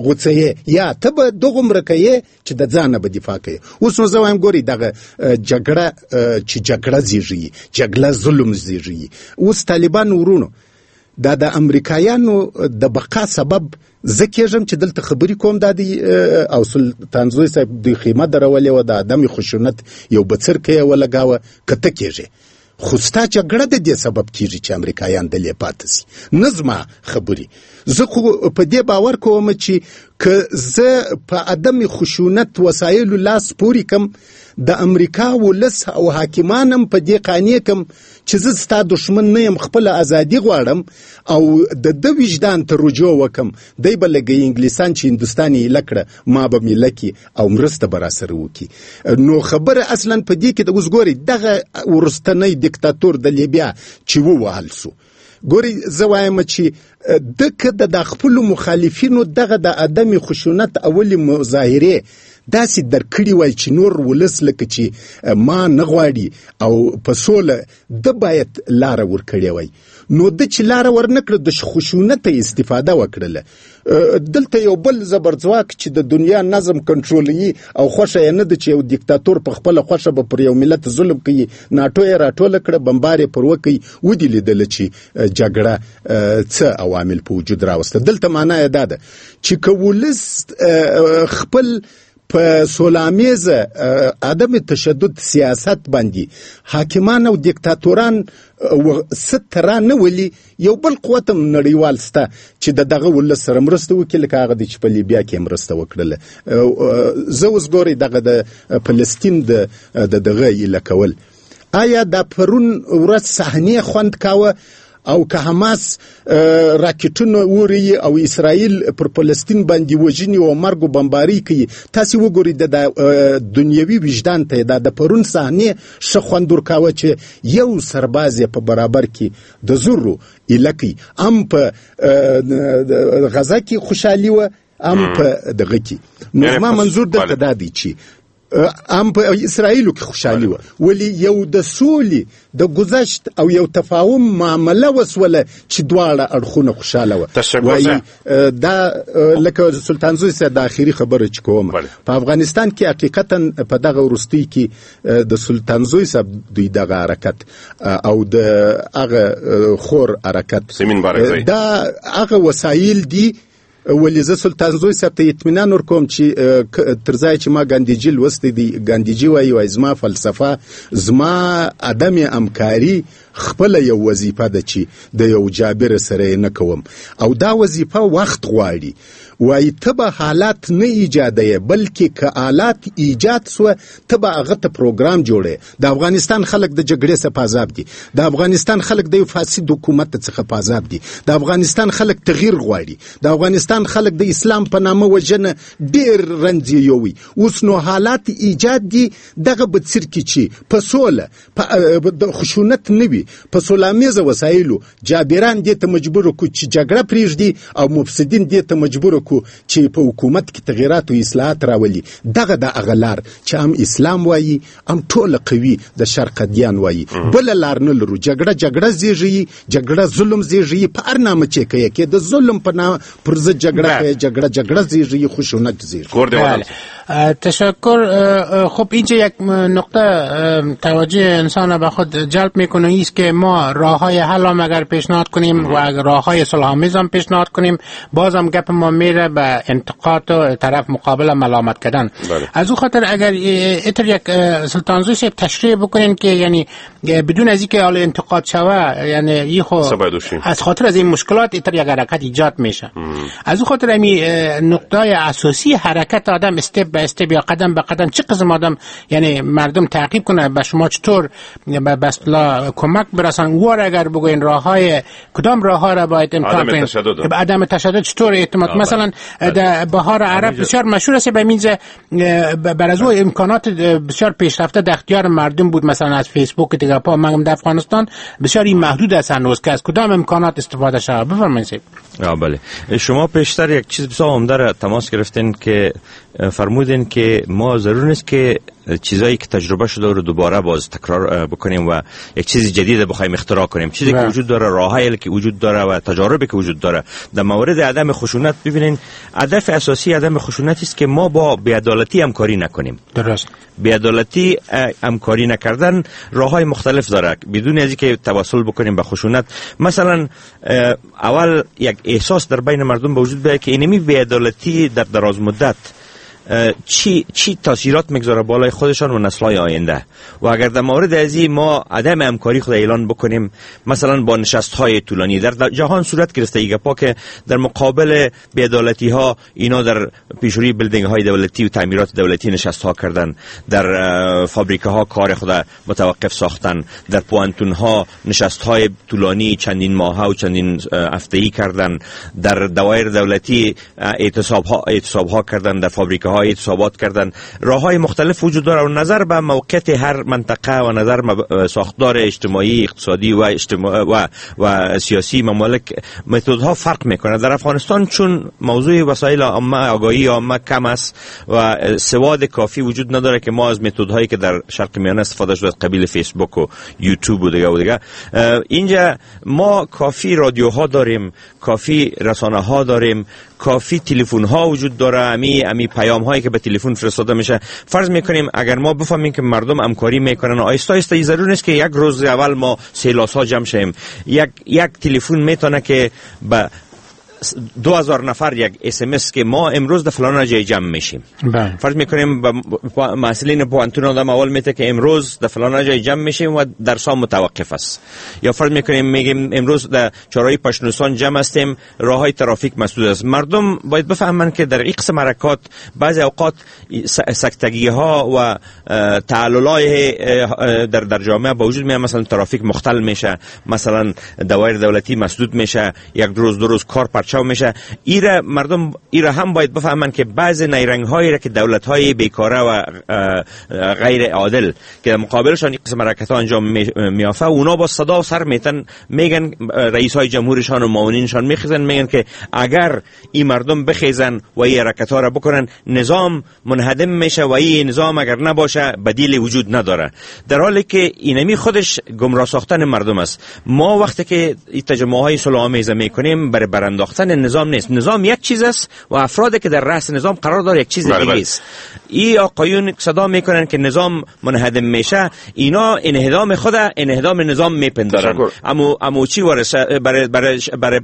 غوڅوې، یا ته به دغومره کوې چې د ځانه به دفاع کوې. اوس نو زه وایم ګورئ دغه جګړه چې جګړه زیږوي، جګړه ظلم زیږوي. اوس طالبان ورونو دا د امریکایانو د بقا سبب زه کېږم چې دلته خبرې کوم، دا دی او سلطانزوی صاحب دوی خیمه درولې وه، د عدم خشونت یو بڅرکی یې ولګاوه، که ته کېږې. خو ستا جګړه د دې سبب کیږي چې امریکایان دلې پاتې سي، نه زما خبرې. زه خو په دې باور کوم چې که زه په عدم خشونت وسایلو لاس پورې کم، د امریکا ولس او حاکمان هم په دې قانع کم چې زه ستا دښمن نه یم، خپله ازادي غواړم او د ده وجدان ته رجوع وکم، دی به لږ انګلیسان چې هندوستان یې ایله کړه ما به مې ایله کړي او مرسته به راسره وکړي. نو خبره اصلا په دې کې ده. اوس ګورئ دغه وروستنی دیکتاتور د لیبیا چې ووهل سو، ګورئ زه وایم چې ده که د خپلو مخالفینو دغه د عدم خشونت اولې مظاهرې داسې درک کړي وای چې نور ولس لکه چې ما نه غواړي او په سوله ده باید لاره ورکړې وای، نو ده چې لاره ورنه کړه د خشونته استفاده وکړله. دلته یو بل زبرځواک چې د دنیا نظم کنټرولوي او خوښه یې نه ده چې یو دیکتاتور په خپله خوښه به پر یو ملت ظلم کوي، ناټو یې راټوله کړه، بمبار یې پر وکړي، ودې لیدله چې جګړه څه عوامل په وجود راوسته. دلته معنا یې دا ده چې که ولس خپل په سولامیزه عدم تشدد سیاست باندې حاکمان او دیکتاتوران ست را نه ولي، یو بل قوت هم نړیوال سته چې د دغه ولس سره مرسته وکړي، لکه هغه دی چې په لیبیا کې مرسته وکړله. زه اوس ګورئ دغه د فلسطین د دغه ایله کول، آیا دا پرون ورځ صحنې خوند کاوه او که حماس راکټونه اوري او اسرائیل پر فلسطین باندې وژني او مرګ او بمباري کوي؟ تاسې وګورئ د دنیوي وجدان ته دا د پرون صحنې ښه خوند ورکاوه چې یو سرباز یې په برابر کې د زرو ایله کوي، هم په غزه کې خوشحالي وه هم په دغه کې. نو زما منظور دلته دا دی چې هم په اسرائیلو کې خوشحالي وه، ولې یو د سولې د ګذشت او یو تفاهم معامله وسوله چې دواړه اړخونه خوشحاله وه. وایي دا لکه سلطانزوی صاحب د اخري خبره چې کوم، په افغانستان کې حقیقتا په دغه وروستي کې د سلطانزوی صاحب دوی دغه حرکت او د هغه خور حرکت دا هغه وسایل دي. ولې زه سلطانزوی صاحب ته اطمینان ورکوم چې تر ځایه چې ما ګاندیجي لوستی دی، ګاندیجي وایي زما فلسفه زما عدم همکاري خپله یو وظیفه ده چې د یو جابر سره یې نه کوم، او دا وظیفه وخت غواړي. وایي ته به حالات نه ایجادوې، بلکې که حالات ایجاد سوه ته به هغه ته پروګرام جوړې. د افغانستان خلک د جګړې څخه په عذاب دي، د افغانستان خلک د یو فاسد حکومت څخه په عذاب دي، د افغانستان خلک تغییر غواړي، د افغانستان خلک د اسلام په نامه وژنه ډېر رنځ یې یووي. اوس نو حالات ایجاد دي دغه به څرکي چې په سوله په خشونت نه وي، په سولامیزه وسایلو جابران دې ته مجبور کړو چې جګړه پرېږدي او مفسدین دې ته مجبور کړو چې په حکومت کې تغیرات او اصلاحات راولي. دغه د هغه لار چې هم اسلام وایي هم ټوله قوي د شرق ادیان وایي، بله لار نه لرو. جګړه جګړه زیږوي، جګړه ظلم زیږوي، په هر نامه چې کوي کې د ظلم په نامه پر ضد جګړه کوي، جګړه جګړه زیږوي، خشونت زیږوي. تشکر. خب اینجا یک نقطه توجه انسان به خود جلب میکنه ایست که ما راههای حل هم اگر پیشنهاد کنیم و اگر راههای صلح‌آمیز هم پیشنهاد کنیم، بازم گپ ما میره به انتقاد و طرف مقابل ملامت کردن. از او خاطر اگر اتر یک سلطانزوی صاحب تشریح بکنین که یعنی بدون از اینکه حال انتقاد شوه، یعنی یه خو از خاطر از این مشکلات اتر یک حرکت ایجاد میشه. از او خاطر امی نقطه اساسی حرکت آدم step به step یا قدم به قدم چه قسم آدم یعنی مردم تعقیب کنه، به شما چطور به اصطلاح کمک برسن، وار اگر بگوین راههای کدام راهها را باید امتحان کنیم، عدم تشدد چطور اعتماد. مثلا در بهار عرب بسیار مشهور است، به مینزه بر از او امکانات بسیار پیشرفته در اختیار مردم بود، مثلا از فیسبوک دیگه پا من در افغانستان بسیار این محدود است هنوز که از کدام امکانات استفاده شود. بفرمایید. بله، شما پیشتر یک چیز بسیار عمده را تماس گرفتین که فرمودین که ما ضرور نیست که چیزایی که تجربه شده رو دوباره باز تکرار بکنیم و یک چیز جدید بخوایم اختراع کنیم. چیزی که وجود داره، راههایی که وجود داره و تجاربی که وجود داره در مورد عدم خشونت. ببینین هدف اساسی عدم خشونت است که ما با بی‌عدالتی همکاری نکنیم. درست. بی‌عدالتی همکاری نکردن راههای مختلف داره بدون از اینکه توسل بکنیم به خشونت. مثلا اول یک احساس در بین مردم به وجود بیاد که اینمی بی‌عدالتی در دراز مدت چی تاثیرات میگذاره بالای خودشان و نسل‌های آینده. و اگر در مورد از این ما عدم همکاری خود اعلان بکنیم، مثلا با نشست‌های طولانی در جهان صورت گرفته ای گپا که در مقابل بی‌عدالتی‌ها اینا در پیشروی building های دولتی و تعمیرات دولتی نشست‌ها کردن، در فابریکه ها کار خود متوقف ساختن، در پوانتون ها نشست‌های طولانی چندین ماهه و چندین هفته‌ای کردن، در دوایر دولتی اعتصاب‌ها کردن، در فابریکه ها اعتصابات کردن. راه‌های مختلف وجود داره و نظر به موقعیت هر منطقه و نظر ساختار اجتماعی، اقتصادی و اجتماع و سیاسی ممالک متدها فرق میکنه. در افغانستان چون موضوع وسایل عامه، آگاهی عامه کم است و سواد کافی وجود نداره که ما از متدهایی که در شرق میانه استفاده شده از قبیل فیسبوک و یوتیوب و دیگه اینجا ما کافی رادیوها داریم، کافی رسانه ها داریم، کافی تلفن ها وجود داره، امی پیام هایی که به تلفن فرستاده میشه. فرض میکنیم اگر ما بفهمیم که مردم همکاری میکنن، آیسته آیسته، ضرور نیست که یک روز اول ما سیلاس ها جمع شیم. یک تلفن میتونه که به 2000 نفر یک SMS که ما امروز در فلان جای جمع میشیم. فرض میکنیم محصلین پوانتون آدم اول میته که امروز در فلان جای جمع میشیم و درس‌ها متوقف است. یا فرض میکنیم میگیم امروز در چهارراه پشنوسان جمع هستیم، راههای ترافیک مسدود است. مردم باید بفهمن که در این قسم حرکات بعضی اوقات سکتگی ها و تعللای در جامعه با وجود میاد. مثلا ترافیک مختل میشه، مثلا دوایر دولتی مسدود میشه، یک روز دو روز کار میشه. ایره مردم ایره هم باید بفهمن که بعض نیرنگ هایی را که دولت های بیکاره و غیر عادل که مقابلشان قسم حرکت ها انجام میافه، اونا با صدا و سر میتن میگن، رئیس های جمهورشان و معاونینشان میخیزن میگن که اگر این مردم بخیزن و این حرکت ها را بکنن نظام منهدم میشه و این نظام اگر نباشه بدیل وجود نداره. در حالی که اینمی خودش گمراه ساختن مردم است. ما وقتی که تجمع های صلح آمیز میکنیم برای برانداختن نظام نیست. نظام یک چیز است و افرادی که در رأس نظام قرار داره یک چیز دیگه است. این آقایون صدا میکنن که نظام منهدم میشه، اینا انهدام خود انهدام نظام میپندارن. امو چی وارث برای برای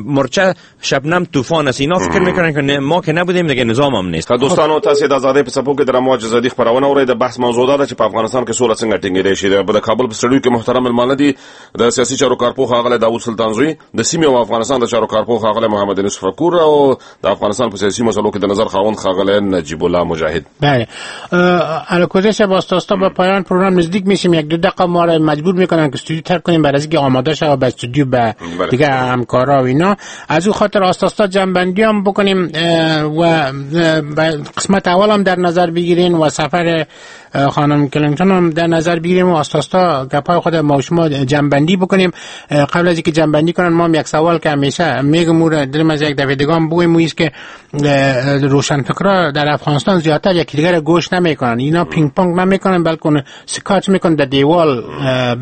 مرچه شبنم طوفان است. اینا فکر میکنن که ما که نبودیم دیگه نظام هم نیست. دوستانو تاسو د ازادۍ په څپو کې د رمواج ازادي خپرونه اورئ. د بحث موضوع دا ده چې په افغانستان کې سوله څنګه ټینګېدای شي. د کابل په سټډیو کې محترم مېلمانه دي د سیاسي چارو کارپوه ښاغلی داوود سلطانزوی، د سیمې او افغانستان د چارو کارپوه ښاغلی محمد انیس فکور او د افغانستان په سیاسي مسلو کې د نظر خاوند ښاغلی نجیب الله مجاهد. بله، الکوزه واسطه با پایان پروگرام نزدیک میشیم. یک دو دقیقه ما را مجبور میکنن که استودیو ترک کنیم برای اینکه آماده شه و به استودیو به دیگه همکارا و اینا. از او خاطر آستا جنبندی هم بکنیم و قسمت اول هم در نظر بگیرین و سفر خانم کلینتون هم در نظر بگیریم و آستا گپای خود ما شما جنبندی بکنیم. قبل از اینکه جنبندی کنن ما هم یک سوال که همیشه میگم او را دلم از یک دفعه دیگه هم بگویم، است که روشنفکرا در افغانستان زیادتر یکی دیگر گوش نمیکنن. اینا پینگ پونگ نمیکنن، بلکه سکاچ میکنن، در دیوال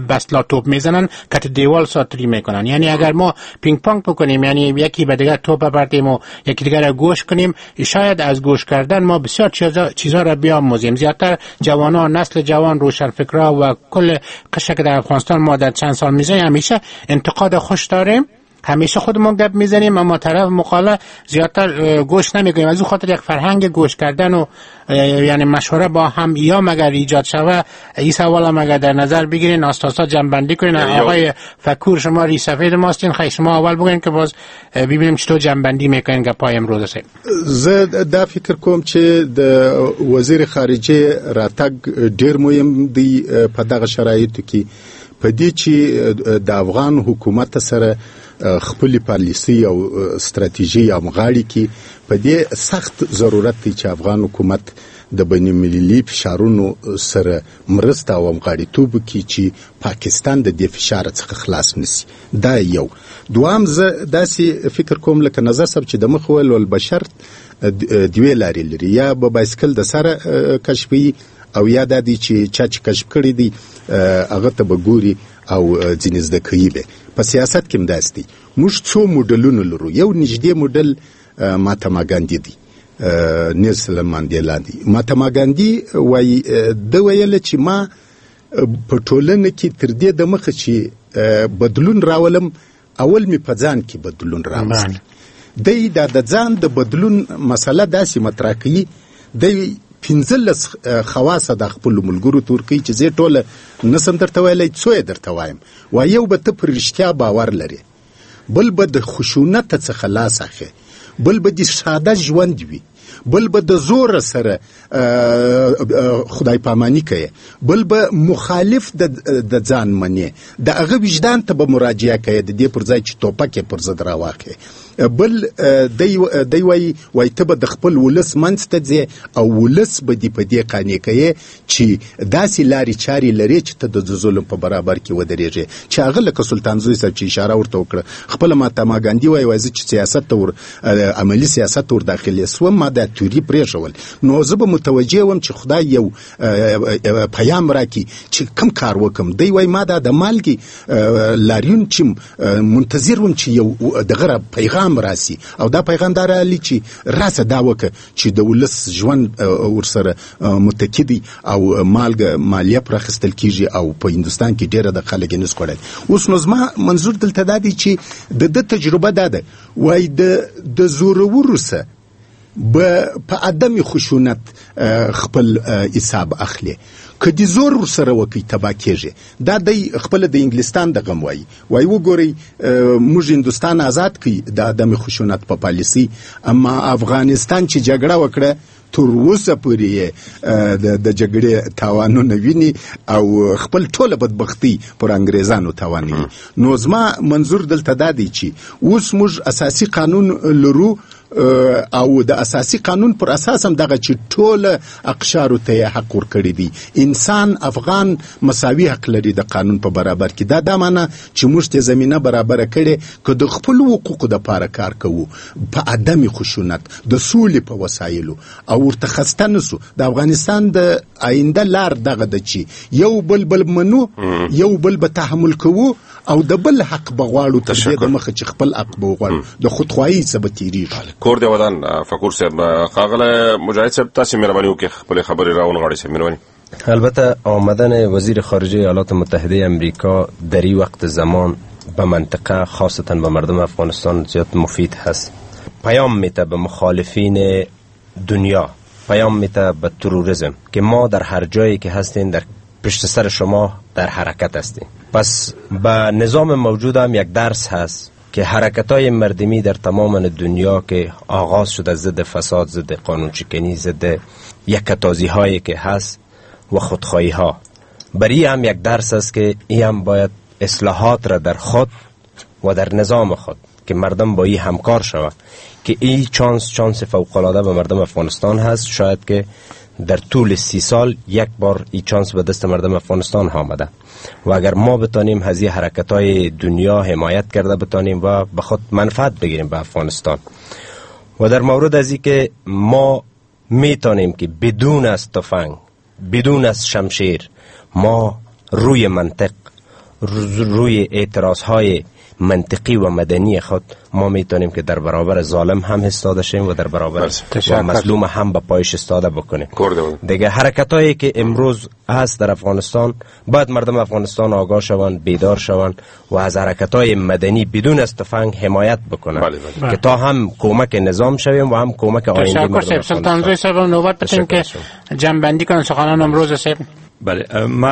بسلا توپ میزنن که دیوال ساتری میکنن. یعنی اگر ما پینگ پونگ بکنیم، یعنی یکی به دیگر توپ ببریم و یکی دیگر گوش کنیم، شاید از گوش کردن ما بسیار چیزا را بیاموزیم. زیادتر جوانان، نسل جوان، روشنفکرا و کل قشر که در افغانستان ما در چند سال میزنیم همیشه انتقاد خوش داریم، همیشه خودمون گپ میزنیم، اما طرف مقاله زیادتر گوش نمیکنیم. از او خاطر یک فرهنگ گوش کردن و یعنی مشوره با هم یا مگر ایجاد شوه. این سوال هم اگر در نظر بگیرین آستا جنبندی کنین. آقای فکور شما ری سفید ماستین، خیلی شما اول بگین که باز ببینیم چطور جنبندی میکنین گپای امروز سه. زه دا فکر کوم چې د وزیر خارجه راتګ ډیر مهم دی په دغه شرایطو کې، په دې چې د افغان حکومت سره خپل پالیسي او ستراتیژي همغاړي کې په دې سخت ضرورت دی چې افغان حکومت د بین المللي فشارونو سره مرسته او همغاړیتوب وکړي چې پاکستان د دې فشار څخه خلاص نشي. دا یو. دوام زه داسې فکر کوم لکه نظر صاحب چې د مخ ویل البشر دوې لارې لري، یا به بایسکل د سره کشفوي او یا دا دی چې چا چې کشف کړی دی هغه ته به ګوري او ځینې زده کوي به. په سیاست کې هم داسې دی، موږ څو موډلونه لرو. یو نږدې موډل مهاتما ګاندي دی، نیلسن ماندیلا دی. مهاتما ګاندي وایي، ده ویل چې ما په ټولنه کې تر دې دمخه چې بدلون راولم اول مې په ځان کې بدلون راوست. دی دا د ځان د بدلون مسله داسې مطرح کوي دی 15 خواص د خپل ملګرو تور کوي چې زه ټوله نسم درته ویلی، څو یې درته وایم. وایي یو به ته پر رښتیا باور لرې، بل به د خشونت څخه لاس اخلې، بل به د ساده ژوند وي، بل به د زور سره خدای پامانی کوي، بل به مخالف د ځان منې، د هغه وجدان ته به مراجعه کوي د دې پر ځای چې توپک یې پر ضد راواخلي. بل دی وایي ته به د خپل ولس منځ ته ځې او ولس به دې په دې قانع کوي چې داسې لارې چارې لرې چې ته د ظلم په برابر کې ودرېږې. چې هغه لکه سلطانزوی صاحب چې اشاره ورته وکړه، خپله مهاتما ګاندي وایي زه چې سیاست ته عملي سیاست ته ور داخل سوم، ما دا تیوري پرېښول، نو زه به متوجه وم چې خدای یو پیام راکړي چې کم کار وکم. دی وایي ما دا د مالګې لاریون چې منتظر وم چې یو دغه پیغام راسي، او دا پیغام دا رالی چې راسه دا وکړه چې د ولس ژوند ورسره متکي دی او مالګه مالیه پر اخیستل کیږي او په هندوستان کې ډېره د خلک یې نسي خوړلی. اوس نو زما منظور دلته دا دی چې د ده تجربه دا ده، وایي د زورورو سره به په عدم خشونت خپل حساب اخلي، که د زور ورسره وکړي تباه کېږي. دا دی خپله د انګلستان د غم وایي، وایي وګورئ موږ هندوستان آزاد کړي د عدم خشونت په پالیسي، اما افغانستان چې جګړه وکړه تر اوسه پورې یې د جګړې تاوانونه ویني او خپل ټوله بدبختي پر انګریزانو تاوانوي. نو زما منظور دلته دا دی چې اوس موږ اساسي قانون لرو او د اساسي قانون پر اساس هم دغه چې ټوله اقشارو ته یې حق ورکړی دی، انسان افغان مساوي حق لري د قانون په برابر کې. دا معنی چې موږ ته زمینه برابره کړې که د خپلو حقوقو دپاره کار کوو په عدم خشونت د سولې په وسایلو او ورته خسته نه سو. د افغانستان د آینده لار دغه ده چې یو بل بل منو، یو بل به تحمل کوو او د بل حق به غواړو تر دې د مخه چې خپل حق به وغواړو، د خودخواهۍ څخه به تېرېږو. کور دی ودان فکور صاحب. ښاغلی مجاهد صاحب تاسې مهرباني وکړئ خپلې خبرې راونغاړئ صاحب، مهرباني. البته آمدن وزیر خارجه ایالات متحده امریکا در این وقت زمان به منطقه خاصتا به مردم افغانستان زیاد مفید هست. پیام میده به مخالفین دنیا، پیام میده به تروریسم که ما در هر جایی که هستین در پشت سر شما در حرکت هستیم. پس به نظام موجود هم یک درس هست که حرکت‌های مردمی در تمام دنیا که آغاز شده ضد فساد، ضد قانون شکنی، ضد یکتازی هایی که هست و خودخواهی ها، برای هم یک درس است که ای هم باید اصلاحات را در خود و در نظام خود که مردم با ای همکار شود که ای چانس فوق‌العاده به مردم افغانستان هست. شاید که در طول 30 سال یک بار ای چانس به دست مردم افغانستان آمده و اگر ما بتانیم از این حرکت‌های دنیا حمایت کرده بتانیم و به خود منفعت بگیریم به افغانستان. و در مورد از این که ما میتونیم که بدون از تفنگ، بدون از شمشیر، ما روی منطق، روی اعتراض‌های منطقی و مدنی خود ما میتونیم که در برابر ظالم هم ایستاده شیم و در برابر و مظلوم هم به پایش ایستاده بکنیم. دیگه حرکتایی که امروز هست در افغانستان باید مردم افغانستان آگاه شوند، بیدار شوند و از حرکتای مدنی بدون از تفنگ حمایت بکنند. بله بله. که تا هم کمک نظام شویم و هم کمک آینده مردم. تشکر سلطان صاحب. نوبت بتیم که جمع‌بندی کنن سخنان امروز صاحب. بله، ما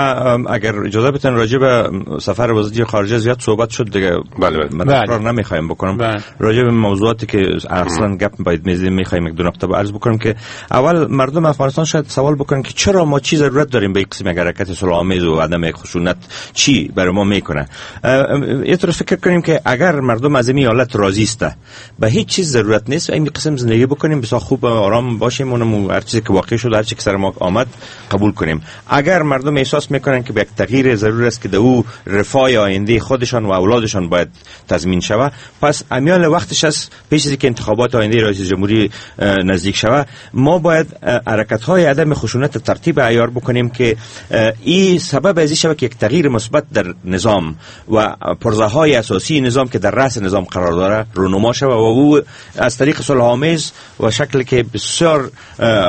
اگر اجازه بتن راجع به سفر وزیر خارجه زیاد صحبت شد دیگه. بله بله. من تکرار نمیخوایم بکنم. بله. راجع به موضوعاتی که اصلا گپ باید میزدیم میخوایم یک دو نقطه عرض بکنم که اول مردم افغانستان شاید سوال بکنن که چرا ما چی ضرورت داریم به یک قسم حرکت صلح‌آمیز و عدم خشونت چی برای ما میکنه. یه طور فکر کنیم که اگر مردم از این حالت راضی است به هیچ چیز ضرورت نیست و این قسم زندگی بکنیم، بسیار خوب آرام باشیم، اونم هر چیزی که واقع شد هر چیزی که سر ما آمد قبول کنیم. اگر مردم احساس میکنن که به یک تغییر ضرور است که در او رفاه آینده خودشان و اولادشان باید تضمین شود، پس امیال وقتش است پیش از اینکه انتخابات آینده رئیس جمهوری نزدیک شود ما باید حرکت‌های عدم خشونت ترتیب عیار بکنیم که این سبب از این شود که یک تغییر مثبت در نظام و پرزه‌های اساسی نظام که در رأس نظام قرار داره رونما شود و او از طریق صلح‌آمیز و شکلی که بسیار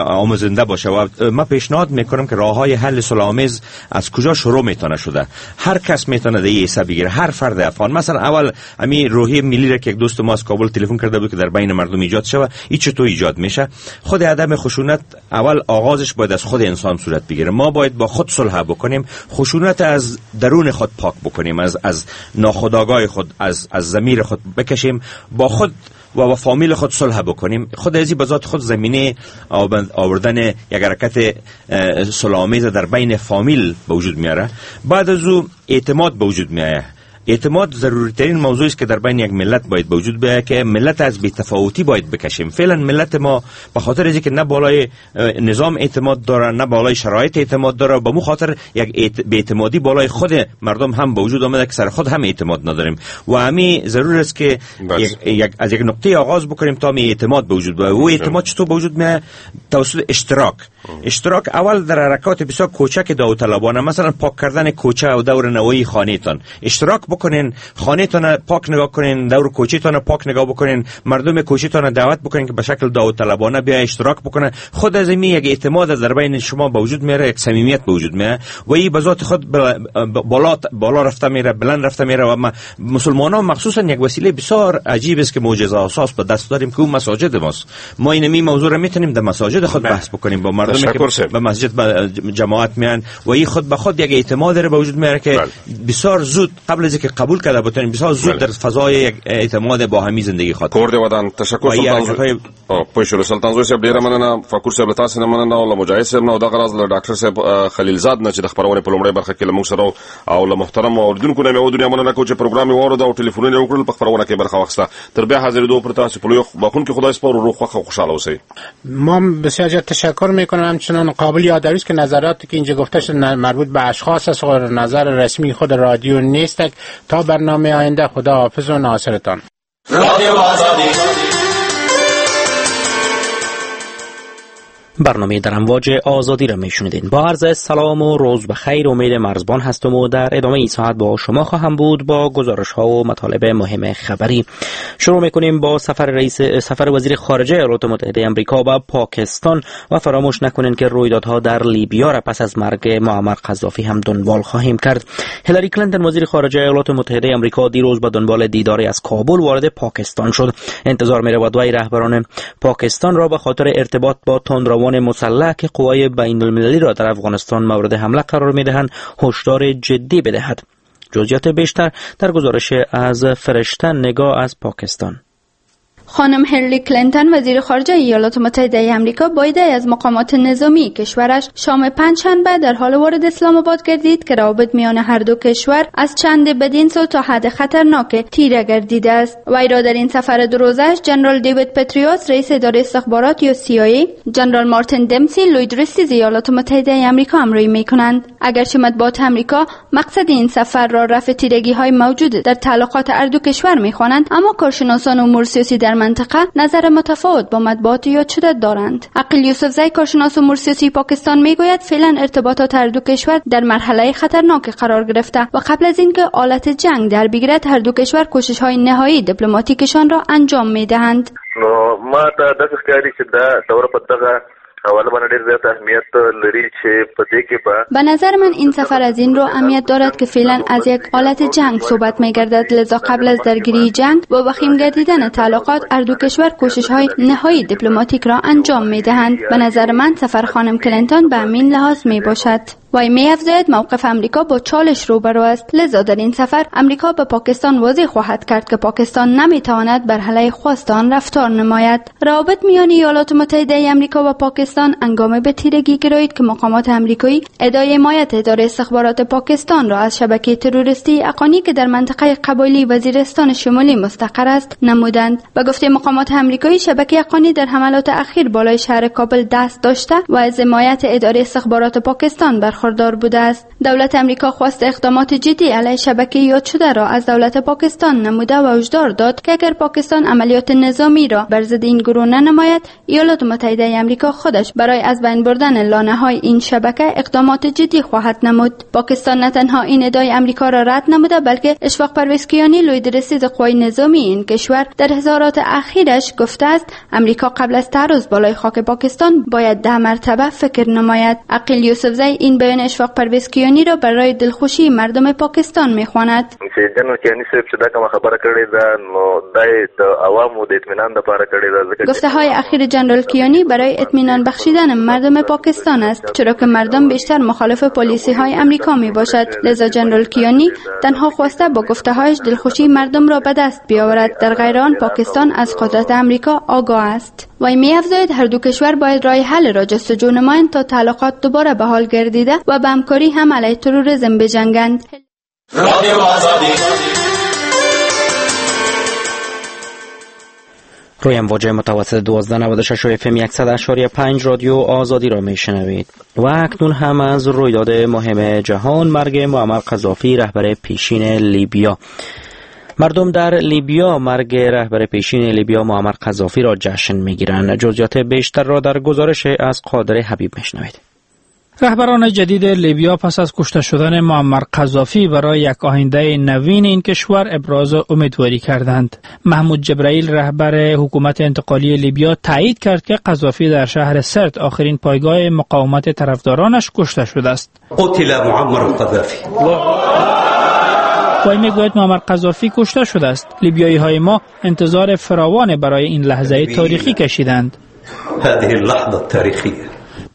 آموزنده باشه. و ما پیشنهاد میکنم که راه‌های حل صلح‌آمیز از کجا شروع میتونه شده. هر کس میتونه در این حساب بگیره، هر فرد افغان. مثلا اول امی روحیه ملی را که یک دوست ما از کابل تلفن کرده بود که در بین مردم ایجاد شوه، این چطور ایجاد میشه؟ خود عدم خشونت اول آغازش باید از خود انسان صورت بگیره. ما باید با خود صلح بکنیم، خشونت از درون خود پاک بکنیم، از ناخودآگاه خود، از ضمیر خود بکشیم، با خود و با فامیل خود صلح بکنیم. خود ازی به ذات خود زمینه آوردن یک حرکت صلح‌آمیز در بین فامیل به وجود میاره. بعد از او اعتماد به وجود میآید. اعتماد ضروری ترین موضوعی است که در بین یک ملت باید به وجود بیاید که ملت از بی‌تفاوتی باید بکشیم. فعلا ملت ما به خاطر اینکه نه بالای نظام اعتماد داره، نه بالای شرایط اعتماد داره، به مو خاطر یک بی‌اعتمادی بالای خود مردم هم به وجود آمده که سر خود هم اعتماد نداریم و همین ضرور است که از یک نقطه آغاز بکنیم تا می اعتماد به وجود بیاید. و اعتماد چطور به وجود میاد؟ توسط اشتراک. اشتراک اول در حرکات بسیار کوچک داوطلبانه، مثلا پاک کردن کوچه و دور نوایی خانه‌تان اشتراک بکنین، خانه‌تان پاک نگاه کنین، دور کوچه‌تان پاک نگاه بکنین، مردم کوچه‌تان دعوت بکنین که به شکل داوطلبانه بیا اشتراک بکنن. خود از این یک اعتماد در بین شما به وجود میاره، یک صمیمیت به وجود میاره و این به ذات خود بالا رفته میره، بلند رفته میره. و مسلمانان مخصوصا یک وسیله بسیار عجیب است که معجزه اساس به دست داریم که اون مساجد ماست. ما این موضوع را میتونیم در مساجد خود بحث بکنیم با مردم که به مسجد جماعت میان و این خود به خود یک اعتماد را به وجود میاره که بسیار زود قبل از اینکه قبول کرده بتونیم بسیار زود در فضای یک اعتماد با همی زندگی خواهد. کور دی ودان. تشکر سلطان پوه سلطان زوی صاحب، ډیره مننه. فکور صاحب له تاسو نه مننه او له مجاهد صاحب نه او دغه راز له ډاکټر صاحب خلیلزاد نه چې د خپرونې په لومړۍ برخه کې له موږ سره او له محترم اوریدونکو نه مې و دنیا مننه کوو چې پروګرام یې واورېد او ټلیفونونه یې وکړل، په خپرونه کې برخه واخیسته. تر بیا حاضرېدو پر تاسو په لوی بخښونکي خدای سپارو، روغ خوښ او خوشحاله اوسئ. ما بسیار زیاد تشکر میکنم. همچنان قابل یادآوری است که نظراتی که اینجا گفته شد مربوط به اشخاص است و نظر رسمی خود رادیو نیست. تا برنامه آینده خدا حافظ و ناصرتان. رادیو آزادی. برنامه در امواج آزادی را میشنیدین. با عرض سلام و روز بخیر، امید مرزبان هستم و در ادامه این ساعت با شما خواهم بود با گزارش ها و مطالب مهم خبری. شروع میکنیم با سفر وزیر خارجه ایالات متحده آمریکا به پاکستان و فراموش نکنین که رویدادها در لیبیا را پس از مرگ معمر قذافی هم دنبال خواهیم کرد. هیلاری کلینتون وزیر خارجه ایالات متحده آمریکا دیروز به دنبال دیداری از کابل وارد پاکستان شد. انتظار می‌رود وی رهبران پاکستان را به خاطر ارتباط با تندروان مسلح که قوای بین المللی را در افغانستان مورد حمله قرار می‌دهند هشدار جدی بدهد. جزئیات بیشتر در گزارش از فرشته نگاه از پاکستان. خانم هیلاری کلینتون وزیر خارجه ایالات متحده آمریکا با ایده از مقامات نظامی کشورش شام پنجشنبه در حال وارد اسلام آباد گردید که روابط میان هر دو کشور از چند بدین سو تا حد خطرناک تیره گردیده است. وی را در این سفر دو روزش جنرال دیوید پتریوس رئیس اداره استخبارات یا CIA، جنرال مارتین دمسی لوی درستیز ایالات متحده آمریکا همراهی میکنند. اگرچه مطبوعات آمریکا مقصد این سفر را رفع تیرگی‌های موجود در تعلقات هر دو کشور میخوانند، اما کارشناسان امور سیاسی در منطقه نظر متفاوت با مطبوعات یاد شده دارند. عقیل یوسفزی کارشناس امور سیاسی پاکستان میگوید فعلا ارتباطات هر دو کشور در مرحله خطرناک قرار گرفته و قبل از اینکه آلت جنگ در بگیرد هر دو کشور کوشش های نهایی دیپلماتیکشان را انجام میدهند. نو ما ته داسې ښکاري چې دا دوره په دغه حواله باندې ډېر زیات اهمیت لري چې په دې کې به نظر من این سفر از این رو اهمیت دارد که فعلا از یک حالت جنگ صحبت می‌گردد، لذا قبل از درگیری جنگ و وخیم گردیدن تعلقات هر دو کشور کوشش‌های نهایی دیپلماتیک را انجام می‌دهند. به نظر من سفر خانم کلینتون به همین لحاظ می‌باشد. وی می‌افزاید موقف امریکا با چالش روبرو است، لذا در این سفر امریکا به پاکستان واضح خواهد کرد که پاکستان نمی‌تواند بر علیه خواست آن رفتار نماید. روابط میان ایالات متحده امریکا و پاکستان هنگام به تیرگی گرایید که مقامات امریکایی ادعای حمایت اداره استخبارات پاکستان را از شبکه تروریستی اقانی که در منطقه قبایلی وزیرستان شمالی مستقر است نمودند. به گفته مقامات امریکایی شبکه اقانی در حملات اخیر بالای شهر کابل دست داشته و از حمایت اداره استخبارات پاکستان برخوردار بوده است. دولت امریکا خواست اقدامات جدی علیه شبکه یاد شده را از دولت پاکستان نموده و هشدار داد که اگر پاکستان عملیات نظامی را بر ضد این گروه ننماید، ایالات متحده امریکا خودش برای از بین بردن لانه‌های این شبکه اقدامات جدی خواهد نمود. پاکستان نه تنها این ادعای امریکا را رد نموده، بلکه اشفاق پرویز کیانی لوی درستیز قوای نظامی این کشور در اظهارات اخیرش گفته است امریکا قبل از تعرض بالای خاک پاکستان باید 10 مرتبه فکر نماید. عقیل یوسفزی این بیان اشفاق پرویز کیانی را برای دلخوشی مردم پاکستان میخواند. چې جنرال کیانی صاحب چې دا کومه خبره کړې ده نو دا د عوامو د اطمینان لپاره کړې ده. گفته های اخیر جنرال کیانی برای اطمینان بخشیدن مردم پاکستان است، چرا که مردم بیشتر مخالف پالیسی های امریکا می باشد. لذا جنرال کیانی تنها خواسته با گفته هایش دلخوشی مردم را به دست بیاورد. در غیر آن پاکستان از قدرت امریکا آگاه است. وی می افزاید هر دو کشور باید راه حل را جستجو نمایند تا تعلقات دوباره به حال گردیده و به همکاری هم علیه تروریسم بجنگند. روی امواج متوسط 1296 اف ام 100.5 رادیو آزادی را میشنوید. و اکنون هم از رویداد مهم جهان، مرگ معمر قذافی رهبر پیشین لیبیا. مردم در لیبیا مرگ رهبر پیشین لیبیا معمر قذافی را جشن میگیرند. جزئیات بیشتر را در گزارش از قادر حبیب میشنوید. رهبران جدید لیبیا پس از کشته شدن معمر قذافی برای یک آینده نوین این کشور ابراز امیدواری کردند. محمود جبرائیل رهبر حکومت انتقالی لیبیا تایید کرد که قذافی در شهر سرت آخرین پایگاه مقاومت طرفدارانش کشته شده است. قتل معمر قذافی. وی میگوید معمر قذافی کشته شده است. لیبیایی های ما انتظار فراوان برای این لحظه تاریخی کشیدند. هذه اللحظه التاریخیه.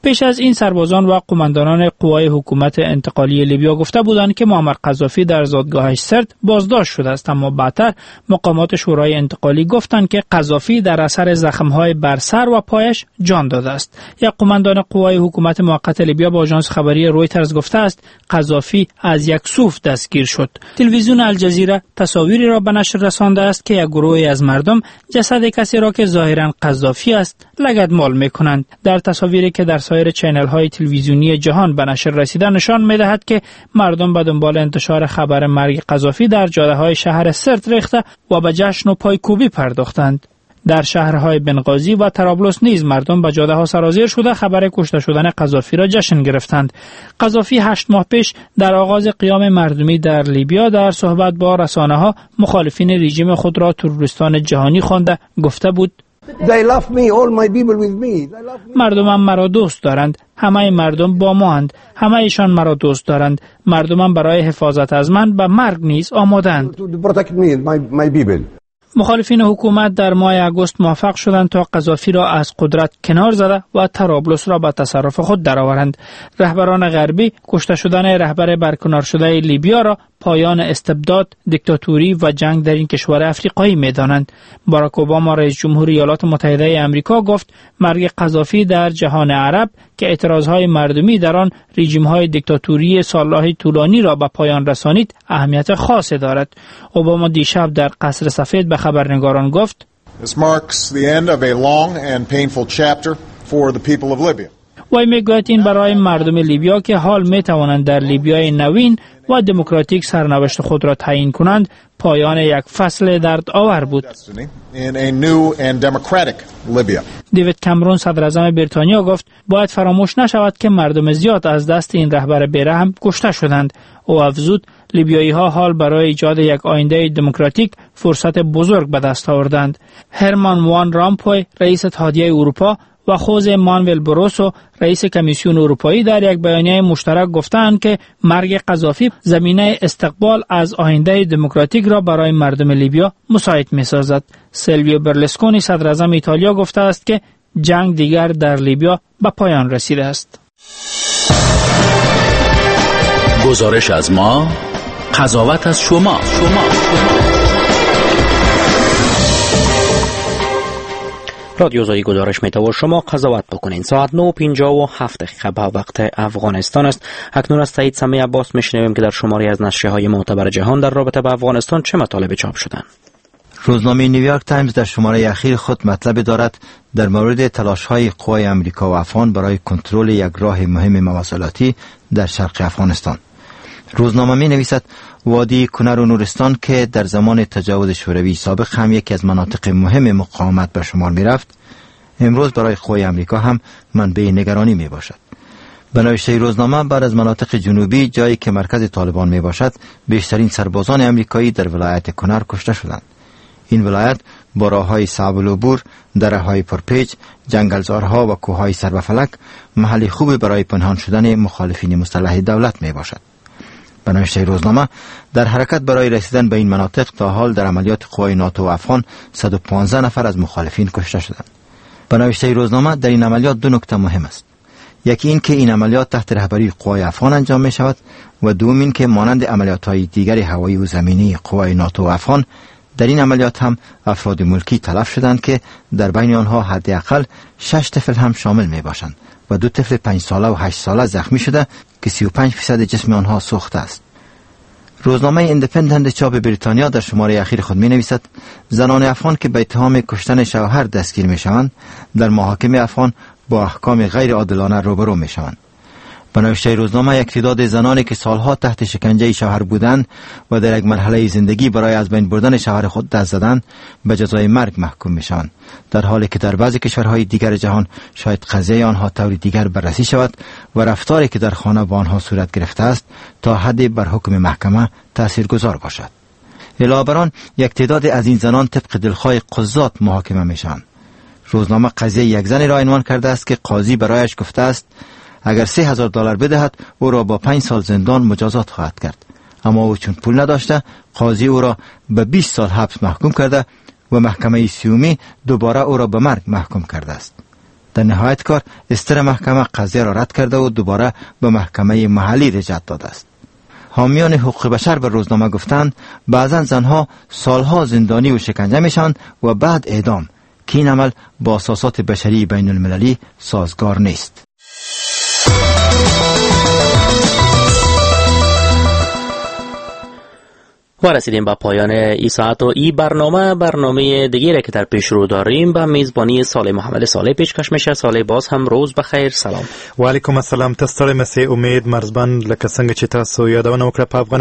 پیش از این سربازان و قماندانان قوای حکومت انتقالی لیبیا گفته بودند که معمر قذافی در زادگاهش سرت بازداشت شده است، اما بعدتر مقامات شورای انتقالی گفتند که قذافی در اثر زخم‌های بر سر و پایش جان داده است. یک قماندان قوای حکومت موقت لیبیا با آژانس خبری رویترز گفته است قذافی از یک سوف دستگیر شد. تلویزیون الجزیره تصاویری را به نشر رسانده است که یک گروهی از مردم جسد کسی را که ظاهراً قذافی است لگدمال می‌کنند. در تصاویری که در سایر چینل های تلویزیونی جهان به نشر رسیده نشان می‌دهد که مردم به دنبال انتشار خبر مرگ قذافی در جاده های شهر سرت ریخته و به جشن و پایکوبی پرداختند. در شهرهای بنغازی و طرابلس نیز مردم به جاده ها سرازیر شده خبر کشته شدن قذافی را جشن گرفتند. قذافی 8 ماه پیش در آغاز قیام مردمی در لیبیا در صحبت با رسانه ها مخالفین رژیم خود را تروریستان جهانی خوانده گفته بود مردمم مرا دوست دارند، همه مردم با ما اند، همه ایشان مرا دوست دارند، مردمم برای حفاظت از من به مرگ نیز آمادند. مخالفین حکومت در ماه آگوست موفق شدند تا قذافی را از قدرت کنار زده و طرابلس را به تصرف خود درآورند. رهبران غربی کشته شدن رهبر برکنار شده لیبیا را پایان استبداد، دیکتاتوری و جنگ در این کشور افریقایی می‌دانند. باراک اوباما رئیس جمهور ایالات متحده آمریکا گفت مرگ قذافی در جهان عرب که اعتراضهای مردمی در آن رژیم‌های دیکتاتوری سال‌های طولانی را به پایان رسانید اهمیت خاصی دارد. اوباما دیشب در قصر سفید به خبرنگاران گفت This marks the end of a long and painful chapter for the people of Libya. وی میگوید این برای مردم لیبیا که حال می توانند در لیبیای نوین و دموکراتیک سرنوشت خود را تعیین کنند پایان یک فصل دردآور بود. دیوید کامرون صدر اعظم بریتانیا گفت باید فراموش نشود که مردم زیاد از دست این رهبر بیرحم کشته شدند. او افزود لیبیایی ها حال برای ایجاد یک آینده دموکراتیک فرصت بزرگ به دست آوردند. هرمان وان رامپوی رئیس اتحادیه اروپا و خوزه مانوئل بروسو رئیس کمیسیون اروپایی در یک بیانیه مشترک گفتند که مرگ قذافی زمینه استقبال از آینده دموکراتیک را برای مردم لیبیا مساعد می‌سازد. سیلویو برلسکونی صدر اعظم ایتالیا گفته است که جنگ دیگر در لیبیا به پایان رسیده است. گزارش از ما، قضاوت از شما. رادیو آزادی گزارش میده و شما قضاوت بکنین. ساعت 9:57 دقیقه به وقت افغانستان است. اکنون از سعید سمیع عباس میشنویم که در شماری از نشریه‌های معتبر جهان در رابطه با افغانستان چه مطالب چاپ شدند. روزنامه نیویورک تایمز در شماره اخیر خود مطلب دارد در مورد تلاش‌های قوای امریکا و افغان برای کنترل یک راه مهم مواصلاتی در شرق افغانستان. روزنامه می نویسد وادی کنر و نورستان که در زمان تجاوز شوروی سابق هم یکی از مناطق مهم مقاومت به شمار می رفت، امروز برای قوای امریکا هم منبع نگرانی می باشد. به نوشته روزنامه بعد از مناطق جنوبی جایی که مرکز طالبان می باشد، بیشترین سربازان امریکایی در ولایت کنر کشته شدند. این ولایت با راه‌های صعب العبور، دره‌های پرپیچ، جنگلزارها و کوه‌های سر به فلک محل خوبی برای پنهان شدن مخالفین مسلح دولت می باشد. به نوشته روزنامه، در حرکت برای رسیدن به این مناطق تا حال در عملیات قوای ناتو و افغان 115 نفر از مخالفین کشته شدند. به نوشته روزنامه، در این عملیات دو نکته مهم است. یکی این که این عملیات تحت رهبری قوای افغان انجام می شود و دوم این که مانند عملیات های دیگر هوایی و زمینی قوای ناتو و افغان، در این عملیات هم افراد ملکی تلف شدند که در بین آنها حداقل 6 طفل هم شامل می باشند و 2 طفل 5 ساله و 8 ساله زخمی شده که 35% جسم آنها سوخته است. روزنامه ایندپندنت چاپ بریتانیا در شماره اخیر خود می نویسد زنان افغان که به اتهام کشتن شوهر دستگیر می شوند در محاکم افغان با احکام غیر عادلانه روبرو می شوند. به نوشته روزنامه، یک تعداد زنانی که سالها تحت شکنجه شوهر بودند و در یک مرحله زندگی برای از بین بردن شوهر خود دست زدند به جزای مرگ محکوم می شوند، در حالی که در بعضی کشورهای دیگر جهان شاید قضیه آنها طور دیگر بررسی شود و رفتاری که در خانه با آنها صورت گرفته است تا حدی بر حکم محکمه تاثیرگذار باشد. علاوه بر آن، یک تعداد از این زنان طبق دلخواه قضات محاکمه می شوند. روزنامه قضیه یک زنی را عنوان کرده است که قاضی برایش گفته است اگر $3000 بدهد او را با 5 سال زندان مجازات خواهد کرد، اما او چون پول نداشته قاضی او را به 20 سال حبس محکوم کرده و محکمه سیومی دوباره او را به مرگ محکوم کرده است. در نهایت کار استر محکمه قضیه را رد کرده و دوباره به محکمه محلی رجعت داده است. حامیان حقوق بشر به روزنامه گفتند بعضا زنها سالها زندانی و شکنجه میشوند و بعد اعدام، که این عمل با اساسات بشری بین المللی سازگار نیست. و رسیدیم به پایان ای ساعت و ای برنامه دیگه که در پیش رو داریم به میزبانی صالح محمد صالح پیشکش میشه. صالح، باز هم روز بخیر. سلام. وعلیکم السلام. ته ستړی مه سې امید مرزبان، لکه څنګه چې تاسو یادونه وکړه په افغان